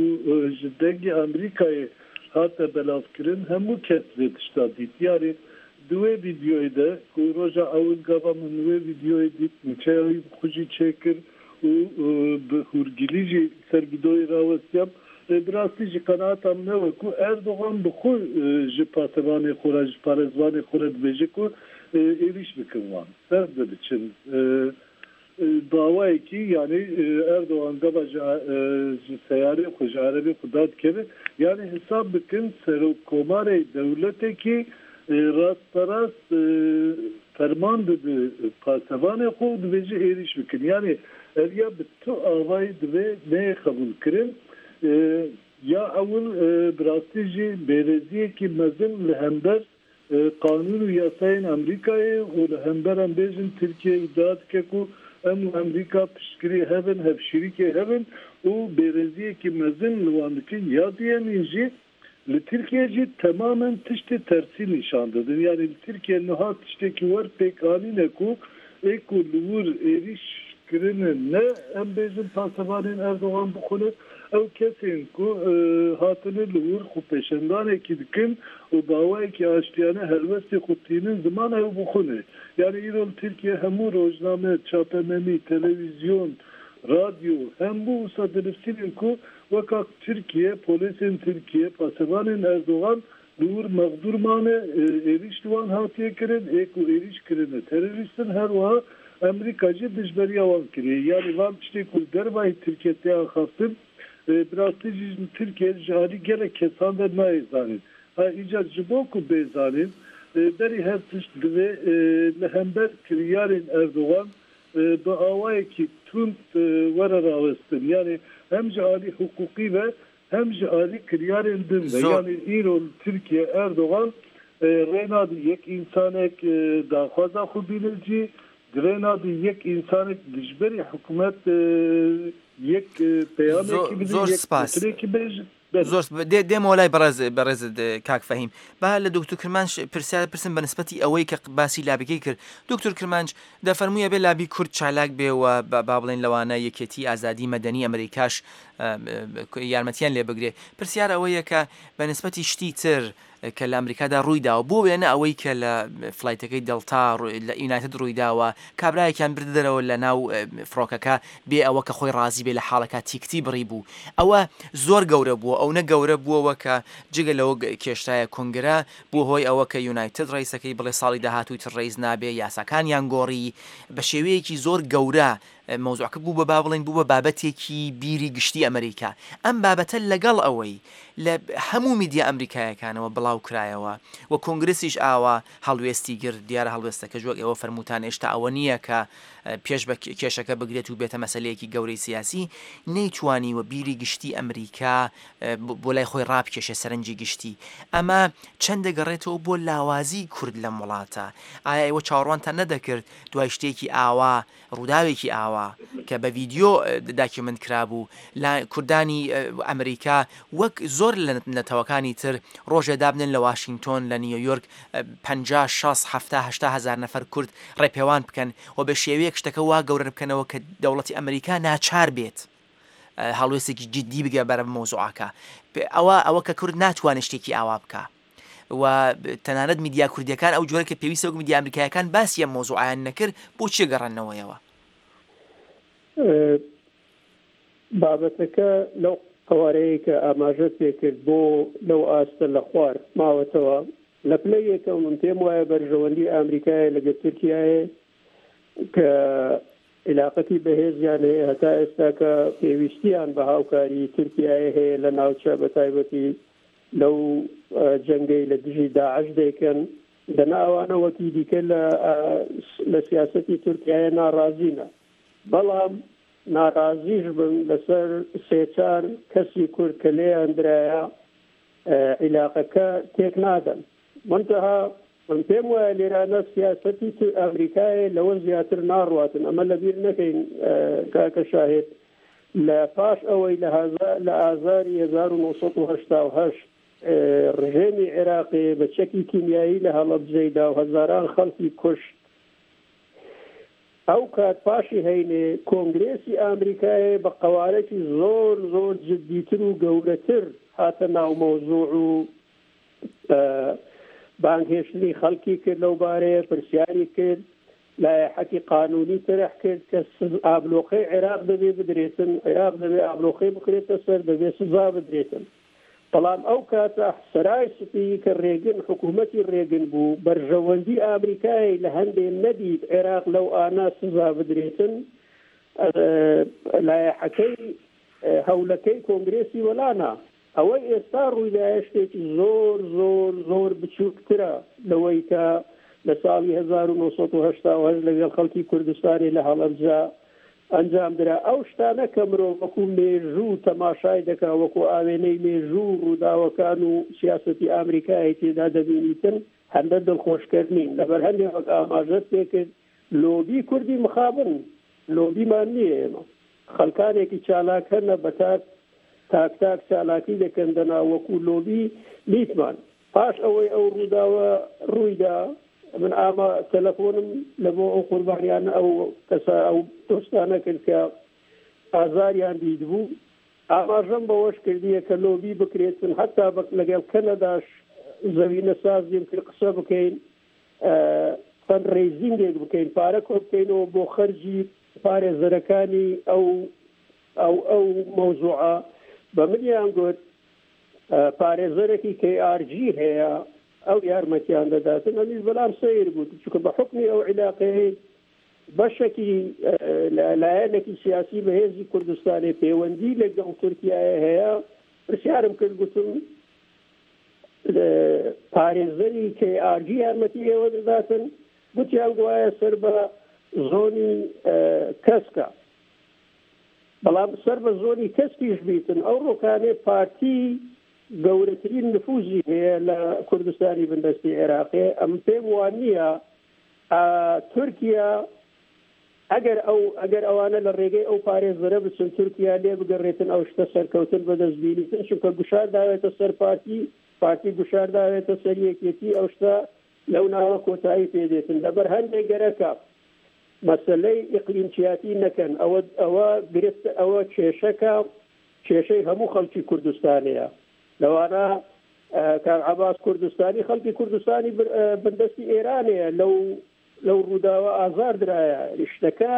ji dengê Amerîkayê hate belavkirin hemû kes vê tişta dît. Yanî Di wê vîdyoyê de ku roja ewil gava min wê vîdyoyê dît nûçeya wî bi xwe jî çêkir û bi hûrgilî jî li ser vîdoyê rawestiyam. Lê bi rastî jî qenaeta min ew e ku Erdogan bi xwe ji pasevanê xwe re, ji parêzvanê xwe re dibêje ku êrîş bikin wan, ser de biçin. Bi awayekî yanî Erdogan gava ji ji seyarê xwe, ji erebê xwe dadikeve, yanî hesab bikin serokkomarê dewletekî rasterast ferman dide pasevanê xwe û dibêje êrîş bikin. Yanî ev ya bi tu awayî divê neyê qebûlkirin. Ya ewil bi rastî jî bêrêziyekî mezin li hember Qanûn û yasayên Emrîkayê û li hember em bêjin Tirkiye îdia dike ku em û Emrîka piştgirê hev in, hevşîrîkê hev in û bêrêziyekî mezin li wan dikin. Ya duyemîn jî li Tirkiye jî temamen tiştê tersî nîşan didin. Yanî li Tirkiye niha tiştekî wer pêk anîne ku ê ku li wir êrîş kirine ne em bêjin pasevanên Erdogan bixwine, ew kesên ku hatine li wir xwepêşandanekî dikin û bi awayekî aştiyane helwestê xwe tînin ziman ew bixwine. Yanî îro li Tirkiye hemû rojname, çapemenî, televîzyon, radyo hemû wisa dinivsînin ku weka Tirkiye, polêsên Tirkiye, pasevanên Erdogan Li wir mexdûr mane, êrîş li wan hatiye kirin, ê ku êrîş kirine terorîst in, her wiha Emrîka jî dijberiya wan kiriye. Yanî van tiştê ku li dervayî Tirkiye tê axaftin, bi rastî jî li Tirkiye ji alî gelek kesan ve nayê zanîn. Ha îcar ji bo ku bê zanîn, berî her tişt divê li hember kiryarên Erdogan bi awayekî tund were rawestin. Yanî hem ji alî hiqûqî ve Hem ji alî kiryarên din ve yanî îro li Tirkiye Erdogan rê nade yek însanek daxwaza xwe bîne cî, rê nade yek însanek dijberî hikûmet yek peyamekî bide, yek gotinekî bêje. Zor spas. Dê dê molay berez berez kak Fehîm. Ba li Doktor Kirmanc pirsyar pirsim be nisbetî ewey ke basî labîkê kir. Doktor Kirmanc دەفەرمووی ئەبێ لابی کورد چالاک بێ و با بڵێین لەوانە یەکێتی ئازادی مەدەنی ئەمریکاش یارمەتیان لێ بگرێ. پرسیار ئەوەیە کە بە نسبەتی شتی تر کە لە ئەمریکادا ڕووی داوە بۆ وێنە ئەوەی کە لە فلایتەکەی دەلتا لە یونایتد ڕووی داوە کابرایەکیان بردە دەرەوە لە ناو فڕۆکەکە بێ ئەوە کە خۆی ڕازی بێ لە حاڵەکە تیکتی بڕی بوو ئەوە زۆر گەورە بووە ئەونە گەورە بووەوە کە جگە لەوە کێشرایە کۆنگرە بووە هۆی ئەوە کە یونایتد ڕیسەکەی بڵێ ساڵی داهاتووی تر ڕیس نابێ یاساکانیان گۆڕی بە شێوەیەکی زۆر گەورە مەوزوعەکە بوو بە با بڵێین بوو بە بابەتێکی بیری گشتی ئەمریکا. ئەم بابەتە لەگەڵ ئەوەی لە هەموو میدیا ئەمریکایەکانەوە بڵاو کرایەوە و کۆنگرسیش ئاوا هەڵوێستی گرت، دیارە هەڵوێستەکەش وەک ئێوە فەرمووتان هێشتا ئەوە نییە کە پێش بە کێشەکە بگرێت و بێتە مەسەلەیەکی گەورەی سیاسی، نەیتوانیوە بیری گشتی ئەمریکا بۆ لای خۆی ڕابکێشێ سەرنجی گشتی. ئەمە چەند دەگەڕێتەوە بۆ لاوازیی کورد لەم وڵاتە؟ ئایا ئێوە چاوەڕوانتان نەدەکرد دوای شتێکی ئاوا ڕووداوێکی ئاوا کە بە ڤیدیۆ داکیومنت کرابوو لە کوردانی ئەمریکا وەک زۆر لە نەتەوەکانی تر ڕۆژێ دابنێن لە واشینگتۆن لە نیویۆرک 50 60 70 80 هەزار نەفەر کورد ڕێپێوان بکەن و بە شێوەیەک شتەکە وا گەورە بکەنەوە کە دەوڵەتی ئەمریکا ناچار بێت هەڵوێستێکی جدی بگە بەرە مەوزوعەکە ئەوە ئەوە کە کورد ناتوانێت شتێکی ئاوا بکە و تەنانەت میدیا کوردیەکان ئەو جۆرە کە پێویستە وەک میدیا ئەمریکایەکان باسی ئەم مەوزوعەیان نەکرد بۆچی گەڕاندنەوەیەوە؟ بابەتەکە لەو قەوارەیەی کە ئاماژەت پێکرد بۆ لەو ئاستە لە خوار ماوەتەوە. لە پلەی یەکەم من پێم وایە بەرژەوەندی ئامریکایە لەگەل تورکیایێ کە عیلاقەتی بەهێزیان هەیە هەتا ئێستا کە پێویستیان بە هاوکاری تورکیایە هەیە لە ناوچە بە تایبەتی لەو جەنگەی لە دژی داعش دەیکەن، دەنا ئەوانە وەکی دیکە لە لە سیاسەتی تورکیایە ناڕازینە. بەڵام ناڕازیش بن لەسەر سێ چار کەسی کورد کە لێیان درایە عیلاقەکە تێک نادەن. مونتەها من پێم وایە لێرانە سیاسەتی ئەمریکایە لەوە زیاتر ناڕواتن. ئەمە لەبیر نەکەین کاکە شاهد لە پاش ئەوەی لە لە ئازاری 1988 ڕژێمی عێراقێ بە چەکی کیمیایی لە هەڵەبجەی دا و هەزاران خەڵکی کوشت، ئەو کات پاشی هەینێ کۆنگرێسی ئامریکایێ بە قەوارەکی زۆر زۆر جدیتر و گەورەتر هاتە ناو مەوزوع و بانگهێشتنی خەڵکی کرد لەو بارەیە، پرسیاری کرد. لایحەکی قانونی تەرح کرد کە ئابلۆقەی عێراق دەبێ بدرێتن، عێراق دەبێ ئابلۆقەی بخرێتە سەر، دەبێ سزا بدرێتن. بەڵام ئەو کاتە سەرای سپی کە رێگن حکوومەتی رێگن بوو، بەرژەوەندی ئامریکای لە هەندێ نەدیت عێراق لەو ئانە سزا بدرێتن، لایحەکەی هەولەکەی کۆنگرێسی وەلا نا. ئەوەی ئێستا ڕوویدایە شتێکی زۆر زۆر زۆر بچووکترە لەوەی کە لە ساڵی 1970 لەگەڵ خەڵکی کوردستانی لە هەڵەبجە ئەنجام درا. ئەو شتانە کە مرۆڤ وەکو مێژوو تەماشای دەکا، وەکو ئاوێنەی مێژوو ڕووداوەکان و سیاسەتی ئامریکای تێدا دەبینیتن، هەندە دڵخۆشکەر نین. لەبەر هەندێ وەک ئاماژەت پێکرد لۆبی کوردی مخابن لۆبیمان نییە ئێمە. خەڵکانێکی چالاک هەنە بە تاک تاک تاک چالاکی دەکەن دەنا وەکو لۆبی نیتمان. پاش ئەوەی ئەو ڕووداوە ڕوویدا من ئاما تەلەفۆنم لە بۆ ئەو قوربانیانە ئەو کەسە ئەو دۆستانە کرد کە ئازاریان دیتبوو ئاماژەم بەوەش کردیە کە لۆبی بکرێتن حەتا لەگەڵ کەنەداش زەوینە سازیم کرد قسە بکەین فەند ڕەیزینگێک بکەین پارە کۆ بکەینەوە بۆ خەرجی پارێزەرەکانی ئەو ئەو ئەو مەوزوعە بە منیان گوت پارێزەرێکی KRG هەیە ئەو یارمەتیان دەداتن ئەمیش بەلام سەیر بوو چونکە بە حوکمی ئەو عیلاقەیەی بەشەکی لایەنێکی سیاسی بەهێزی کوردستانی پەیوەندی لەگەڵ تورکیایە هەیە پرسیارم کرد گوتم پارێزەری KRG یارمەتی ئێوە دەداتن گوتیان گوایە سەر بە زۆنی کەسکە بەڵام سەر بە زۆنی کەسکیش بیتن ئەو ڕۆکانێ پارتی گەورەترین نفوزی هەیە لە کوردستانی بندەستی عێراقێ ئەم پێم وان نییە تورکیا ئەگەر ئەو ئەگەر ئەوانە لە ڕێگەی ئەو پارێزەرە بچن تورکیا لێ بگەڕێتن ئەو شتە سەرکەوتن بەدەست بینیتن چونکە گوشار داوێتە سەر پارتی پارتی گوشار داوێتە سەر یەکێتی ئەو شتە لەو ناوە کۆتایی پێ دێتن لەبەر هەندێک گەرەکە مەسەلەی ئیقلیمچیاتی نەکەن ئەوە ئەوە گرفت ئەوە کێشەکە کێشەی هەموو خەڵکی کوردستانەیە لەوانە. کاک عەباس کوردستانی خەڵکی کوردستانی بندەستی ئێرانەیە لەو لەو ڕووداوە ئازار درایە شتەکە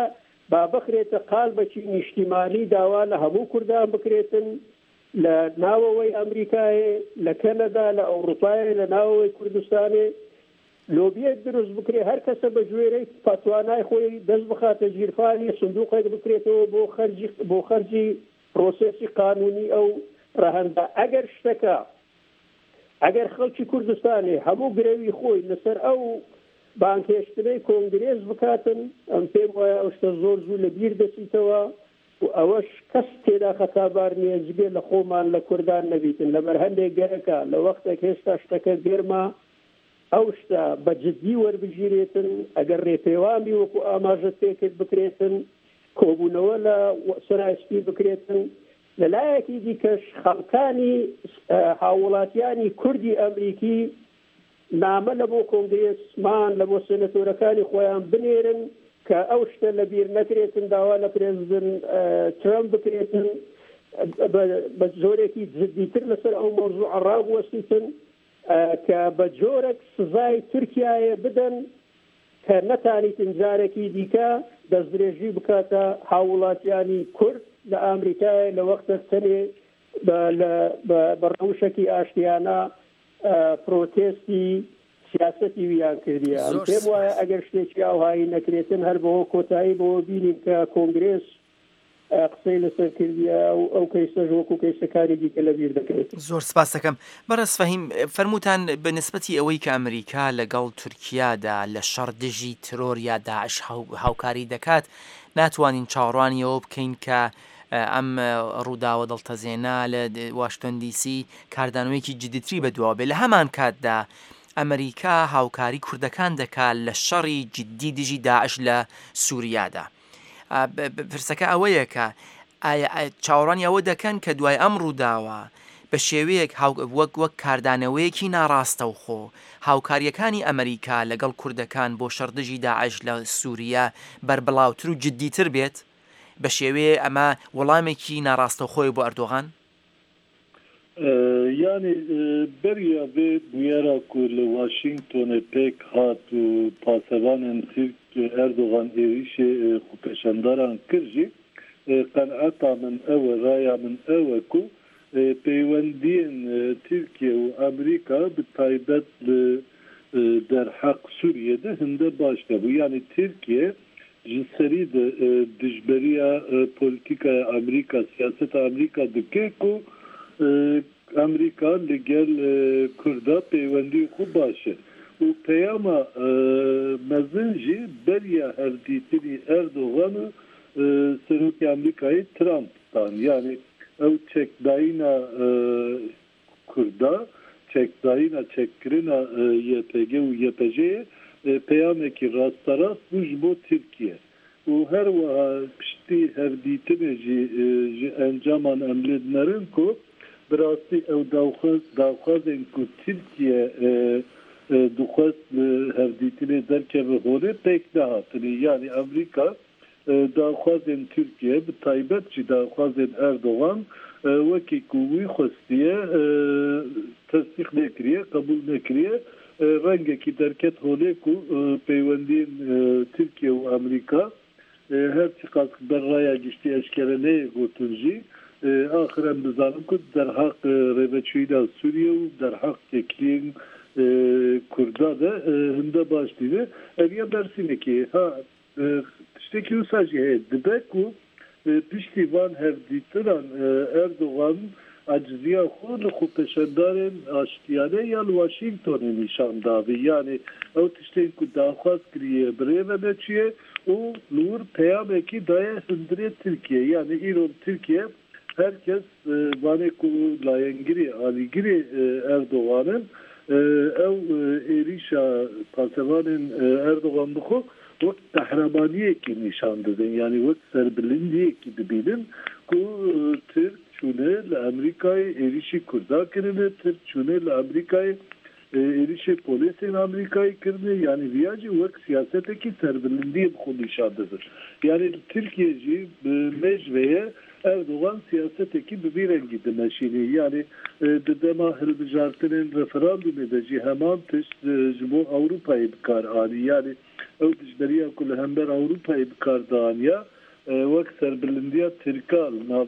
با بخرێتە قالبەکی نیشتیمانی داوا لە هەموو کوردان بکرێتن لە ناوەوەی ئەمریکایێ لە کەنەدا لە ئەوڕوپایێ لە ناوەوەی کوردستانێ لۆبیەک دروست بکرێ هەر کەسە بە گوێرەی توانای خۆی دەست بخاتە گیرفانی سندوقێک بکرێتەوە بۆ خەرجی بۆ خەرجی پرۆسێسی قانونی ئەو ڕەهەندە ئەگەر شتەکە ئەگەر خەڵکی کوردستانێ هەموو گرەوی خۆی لەسەر ئەو بانگهێشتنەی کۆنگرێس بکاتن ئەم پێم وایە ئەو شتە زۆر زوو لە بیر دەچیتەوە و ئەوەش کەس تێدا خەتابار نییە جگە لە خۆمان لە کوردان نەبیتن لەبەر هەندێک گەرەکە لە وەختێک هێشتا شتەکە گەرمە ئەو شتە بە جدی وەربگیرێتن، ئەگەر رێپێوان بی وەکو ئاماژەت پێکرد بکرێتن، کۆبوونەوە لە سەرای سپی بکرێتن، لە لایەکی دیکەش خەڵکانی هاووڵاتیانی کوردی ئەمریکی نامە لە بۆ کۆنگرێسمان لە بۆ سێنەتۆرەکانی خۆیان بنێرن کە ئەو شتە لە بیر نەکرێتن داوا لە پرێزدن ترەمپ بکرێتن بە جۆرێکی جدیتر لەسەر ئەو مەوزوعە ڕابوەستیتن. کە بە جۆرەک سزای تورکیایێ بدەن کە نەتانیتن جارەکی دیکە دەستدرێژی بکاتە هاووڵاتیانی کورد لە ئامریکایێ لە وەختەک تەنێ بە لە بە ڕەوشەکی ئاشتیانە پرۆتێستی سیاسەتی ویان کردیە. ئەم زۆر پێم وایە سپاس. ئەگەر شتێکی ئاوهایی نەکرێتن هەر بەوە کۆتایی بەوە بینین کە کۆنگرێس قسەی لەسەر کردیە و ئەو کەیسەش وەکو کەیسەکانی دیکە لەبیر دەکرێت. زۆر سپاست دەکەم. بەڕێز فەهیم، فەرمووتان بە نسبەتی ئەوەی کە ئەمریکا لەگەڵ تورکیادا لە شەڕ دژی ترۆر یا داعش هاوکاری دەکات، ناتوانین چاوەڕوانی ئەوە بکەین کە ئەم ڕووداوە دڵتەزێنە لە واشنتۆن دی سی کاردانەوەیەکی جدیتری بەدواوە بێ. لە هەمان کاتدا ئەمریکا هاوکاری کوردەکان دەکات لە شەڕی جدی دژی داعش لە سووریادا. پرسەکە ئەوەیە کە ئایا چاوەڕوانی ئەوە دەکەن کە دوای ئەم ڕووداوە بە شێوەیەک وەک وەک کاردانەوەیەکی ناڕاستەوخۆ هاوکارییەکانی ئەمریکا لەگەڵ کوردەکان بۆ شەڕ دژی داعش لە سووریە بەربڵاوتر و جددیتر بێت؟ بە شێوەیە ئەمە وەڵامێکی ناڕاستەوخۆیە بۆ ئەردۆغان؟ یانی beriya vê bûyera ku li Washingtonê pêk hat û pasevanên Tirk Erdogan êrîşê xwepêşandaran kir jî qenaeta min ew e, raya min ew e ku peywendiyên Tirkiye û Amerîka bi taybet li derheq Sûriyê de hinde baş nebû. Yanî Tirkiye Ji serî de dijberiya polîtîkaya Amerîka, siyaseta Amerîka dike ku Amerîka li gel Kurda pêwendiyên xwe baş e û peyama mezin jî beriya hevdîtinî Erdogan û Serokê Amerîkayê Trump dan. Yanî ew çekdayîna Kurda çekdayîna çekkirina YPG û YPJ'ê peyamekî rasterast bû ji bo Tirkiye û her wiha piştî hevdîtinê jî ji encaman em lê dinerin ku bi rastî ew daxwazên ku Tirkiye dixwest li hevdîtinê derkeve holê pêk nehatinê yanî Amerîka Daxwazên Tirkiye bi taybet jî daxwazên Erdogan wekî ku wî xwestiye tesdîq nekiriye, qebûl nekiriye. Rengekî derket holê ku peywendiyên Tirkiye û Amerîka her çiqas ber raya giştî eşkere neyê gotin jî axir em dizanin ku derheq rêveçûyîna Sûriye û derheq têkiliyên Kurda de hinde baş nîne. Ev ya bersînekî ha Tiştekî wisa jî heye, dibe ku piştî van hevdîtinan Erdogan eciziya xwe li xwepêşandarên aştiyane ya li Washingtonê nîşan dabî. Yanî ew tiştên ku daxwaz kiriye bi rê ve neçûye û li wir peyamekî daye hundirê Tirkiyeyê. Yanî îro li Tirkiye her kes Vanê ku layengirê, alîgirê Erdogan in, ew êrîşa pasevanên Erdogan bi xwe wek qehremaniyekî nîşan didin, yanî wek serbilindiyekî dibînin ku Tirk çûne li Amerîkayê êrîşî Kurda kirine, Tirk çûne li Amerîkayê êrîşê polêsên Amerîkayê kirine, yanî viya jî wek siyasetekî serbilindiyê bi xwe nîşan didin. Yanî li Tirkiyê jî bi mêj ve ye. Erdogan siyasetekî bi vî rengî dimeşînî. Yanî di dema hilbijartinên referandûmê de jî heman tişt ji bo Ewropayê bi kar anî. Yanî ew dijberiya ku li hember Ewropayê bi kar dianiya wek serbilindiya Tirka li nav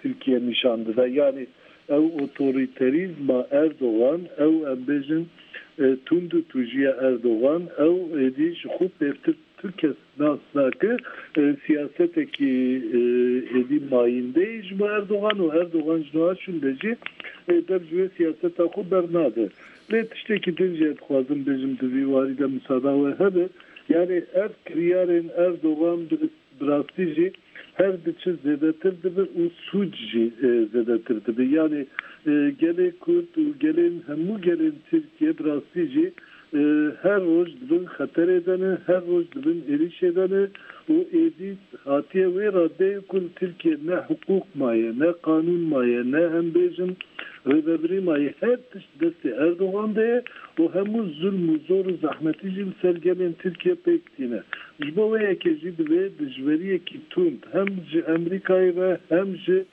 Tirkiye nîşan dide. Yanî ew otorîterîzma Erdogan, ew em bêjin tund û tûjiya Erdogan, ew êdî ji xwe pêvtir tu kes nas nake. Siyasetekî êdî mayînde ye ji bo Erdogan û Erdogan ji niha şûnde jî dev ji wê siyaseta xwe bernade. Lê tiştekî din jî ez dixwazim bêjim di vî warî de misada we hebe. Yanî ev kiryarên Erdogan bi Bi rastî jî her diçe zêdetir dibe û sûc jî zêdetir dibe. Yanî gelê Kurd û gelên hemû gelên Tirkiye bi rastî jî her roj di bin xeterê de ne, her roj di bin êrîşê de ne û êdî hatiye wê raddeyê ku li Tirkiye ne hiqûq maye, ne qanûn maye, ne em bêjin rêvebirî maye. Her tişt destê Erdogan de ye û hemû zulm û zor û zehmetî jî li ser gelên Tirkiye pêk tîne. Ji bo wê yekê jî divê dijweriyekî tund hem ji Emrîkayê ve hem ji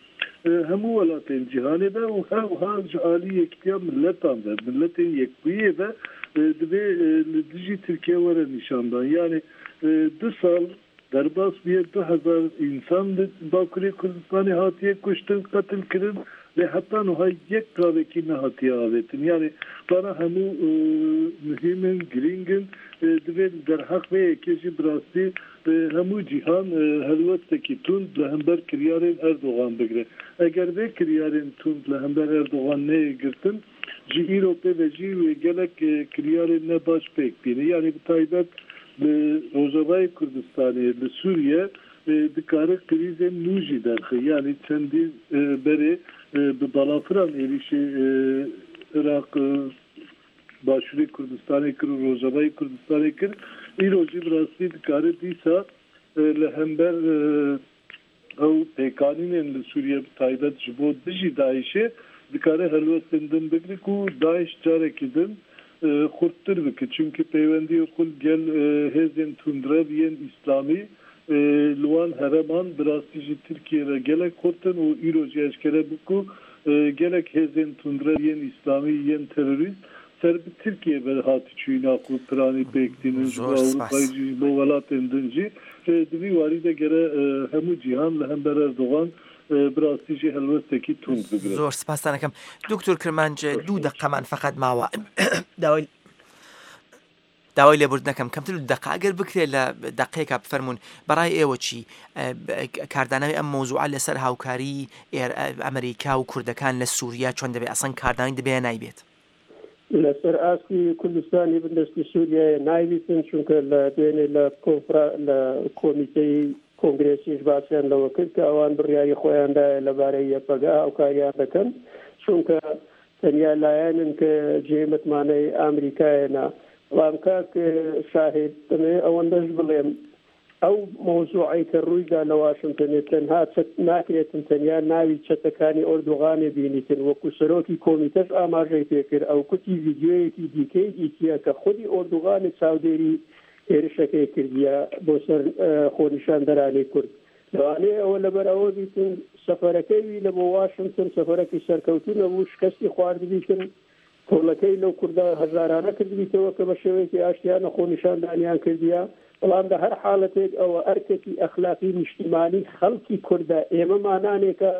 hemû welatên cîhanê ve û her wiha ji alî Yekîtiya Miletan ve, Miletên Yekbûyîyê ve divê li dijî Tirkiye were nîşandan. Yanî du sal derbas bûye 2000 însan li Bakurê Kurdistanê hatiye kuştin, qetilkirin lê heta niha yek gavekî nehatiye avêtin. Yanî vana hemû muhîm in, girîng in. Divê li derheq vê yekê jî bi rastî hemû cîhan helwestekî tund li hember kiryarên Erdogan bigire. Eger vê kiryarên tund li hember Erdogan neyê girtin, ji îro pê ve jî wê gelek kiryarên ne baş pêk bîne. Yanî bi taybet li Rojavayê Kurdistanê, li Sûriye dikare krîzên nû jî derxe. Yanî çendî berê bi balafiran êrîşê Iraq, Başûrê Kurdistanê kir û Rojavayê Kurdistanê kir. Îro jî bi rastî dikare dîsa li hember ew pêkanînên li Sûriye bi taybet ji bo dijî DAIŞ'ê dikare helwestên din bigire ku DAIŞ carekî din xurttir bike. Çimkî peywendiyê xwe li gel hêzên tundrev yên îslamî Li wan hereman bi rastî jî Tirkiye re gelek xurt in û îro jî eşkere bû ku gelek hêzên tundrew yên îslamî yên terorîst ser bi Tirkiyê ve hatî çûyîna xwe piranî pêk tînin ji bo Zor spas. Ewropayê jî ji bo welatên din jî. Di vî warî de gere hemû cîhan li hember Erdogan bi rastî jî helwestekî tund bigire. Zor spastan ekem. Doktor Kirmanc دوو دەقەمان فەقەت ماوە داوای داوای لێبوردن ئەکەم کەمتر لە دەقە ئەگەر بکرێت لە دەقەیەکا بفەرموون بەڕای ئێوە چی کاردانەوەی ئەم مەوزوعە لەسەر هاوکاری ئەمریکا و کوردەکان لە سووریا چۆن دەبێت ئەسڵەن کاردانەوەی دەبێ یا نایبێت؟ لەسەر ئاستی کوردستانی بندەستی سووریایە نایبیتن چونکە لە دوێنێ لە کۆنفرا لە کۆمیتەی کۆنگرێسیش باسیان لەوە کرد کە ئەوان بڕیاری خۆیان دایە لەبارەی یەپەگە هاوکاریان دەکەن چونکە تەنیا لایەنن کە جێی متمانەی ئامریکایەنە. بەڵام کاک شاهید دەمەوێ ئەوەندەش بڵێم ئەو مەوزوعەی کە ڕوویدا لە واشنتۆنێ تەنها چەت ناکرێتن تەنیا ناوی چەتەکانی ئۆردوغانێ بینیتن وەکو سەرۆکی کۆمیتەش ئاماژەی پێکرد ئەو کوتی ڤیدیۆیەکی دیکەی دیتیە کە خودی ئۆردوغانێ چاودێری هێرشەکەی کردیە بۆ سەر خۆنیشاندەرانی کورد لەوانەیە ئەوە لەبەر ئەوە بیتن سەفەرەکەی وی لە بۆ واشنتن سەفەرەکی سەرکەوتوو نەبوو، شکەستی خواردبیتن، تۆڵەکەی لەو کوردە هەژارانە کردبیتەوە کە بە شێوەیەکی ئاشتیانە خۆنیشاندانیان کردیە، بەڵام لە هەر حاڵەتێک ئەوە ئەرکێکی ئەخلاقی نیشتیمانی خەڵکی کوردە، ئێمە مانانێکە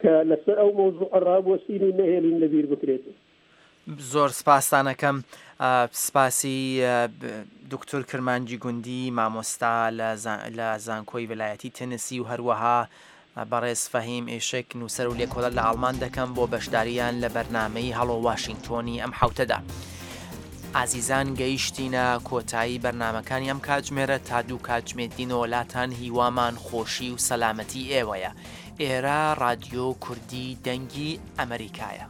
کە لەسەر ئەو مەوزوعە ڕابوەستین و نەهێڵین لەبیر بکرێت. زۆر سپاستان ئەکەم سپاسی دکتۆر کرمانجی گوندی مامۆستا لە زانکۆی ولایەتی تنسی و هەروەها بەڕێز فەهیم ئیشک نووسەر و لێکۆڵەر لە ئاڵمان دەکەم بۆ بەشداریان لە بەرنامەی هەڵۆ واشنگتۆنی ئەم حوتەدا. ئازیزان گەیشتینە کۆتایی بەرنمەکانی ئەم کاتژمێرە تا دوو کاتژمێر دینەوە لاتان هیوامان خۆشی و سەلامەتی ئێوەیە. ئێرە ڕادیۆ کوردی دەنگی ئەمریکایە.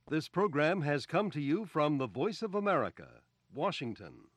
This program has come to you from the Voice of America, Washington.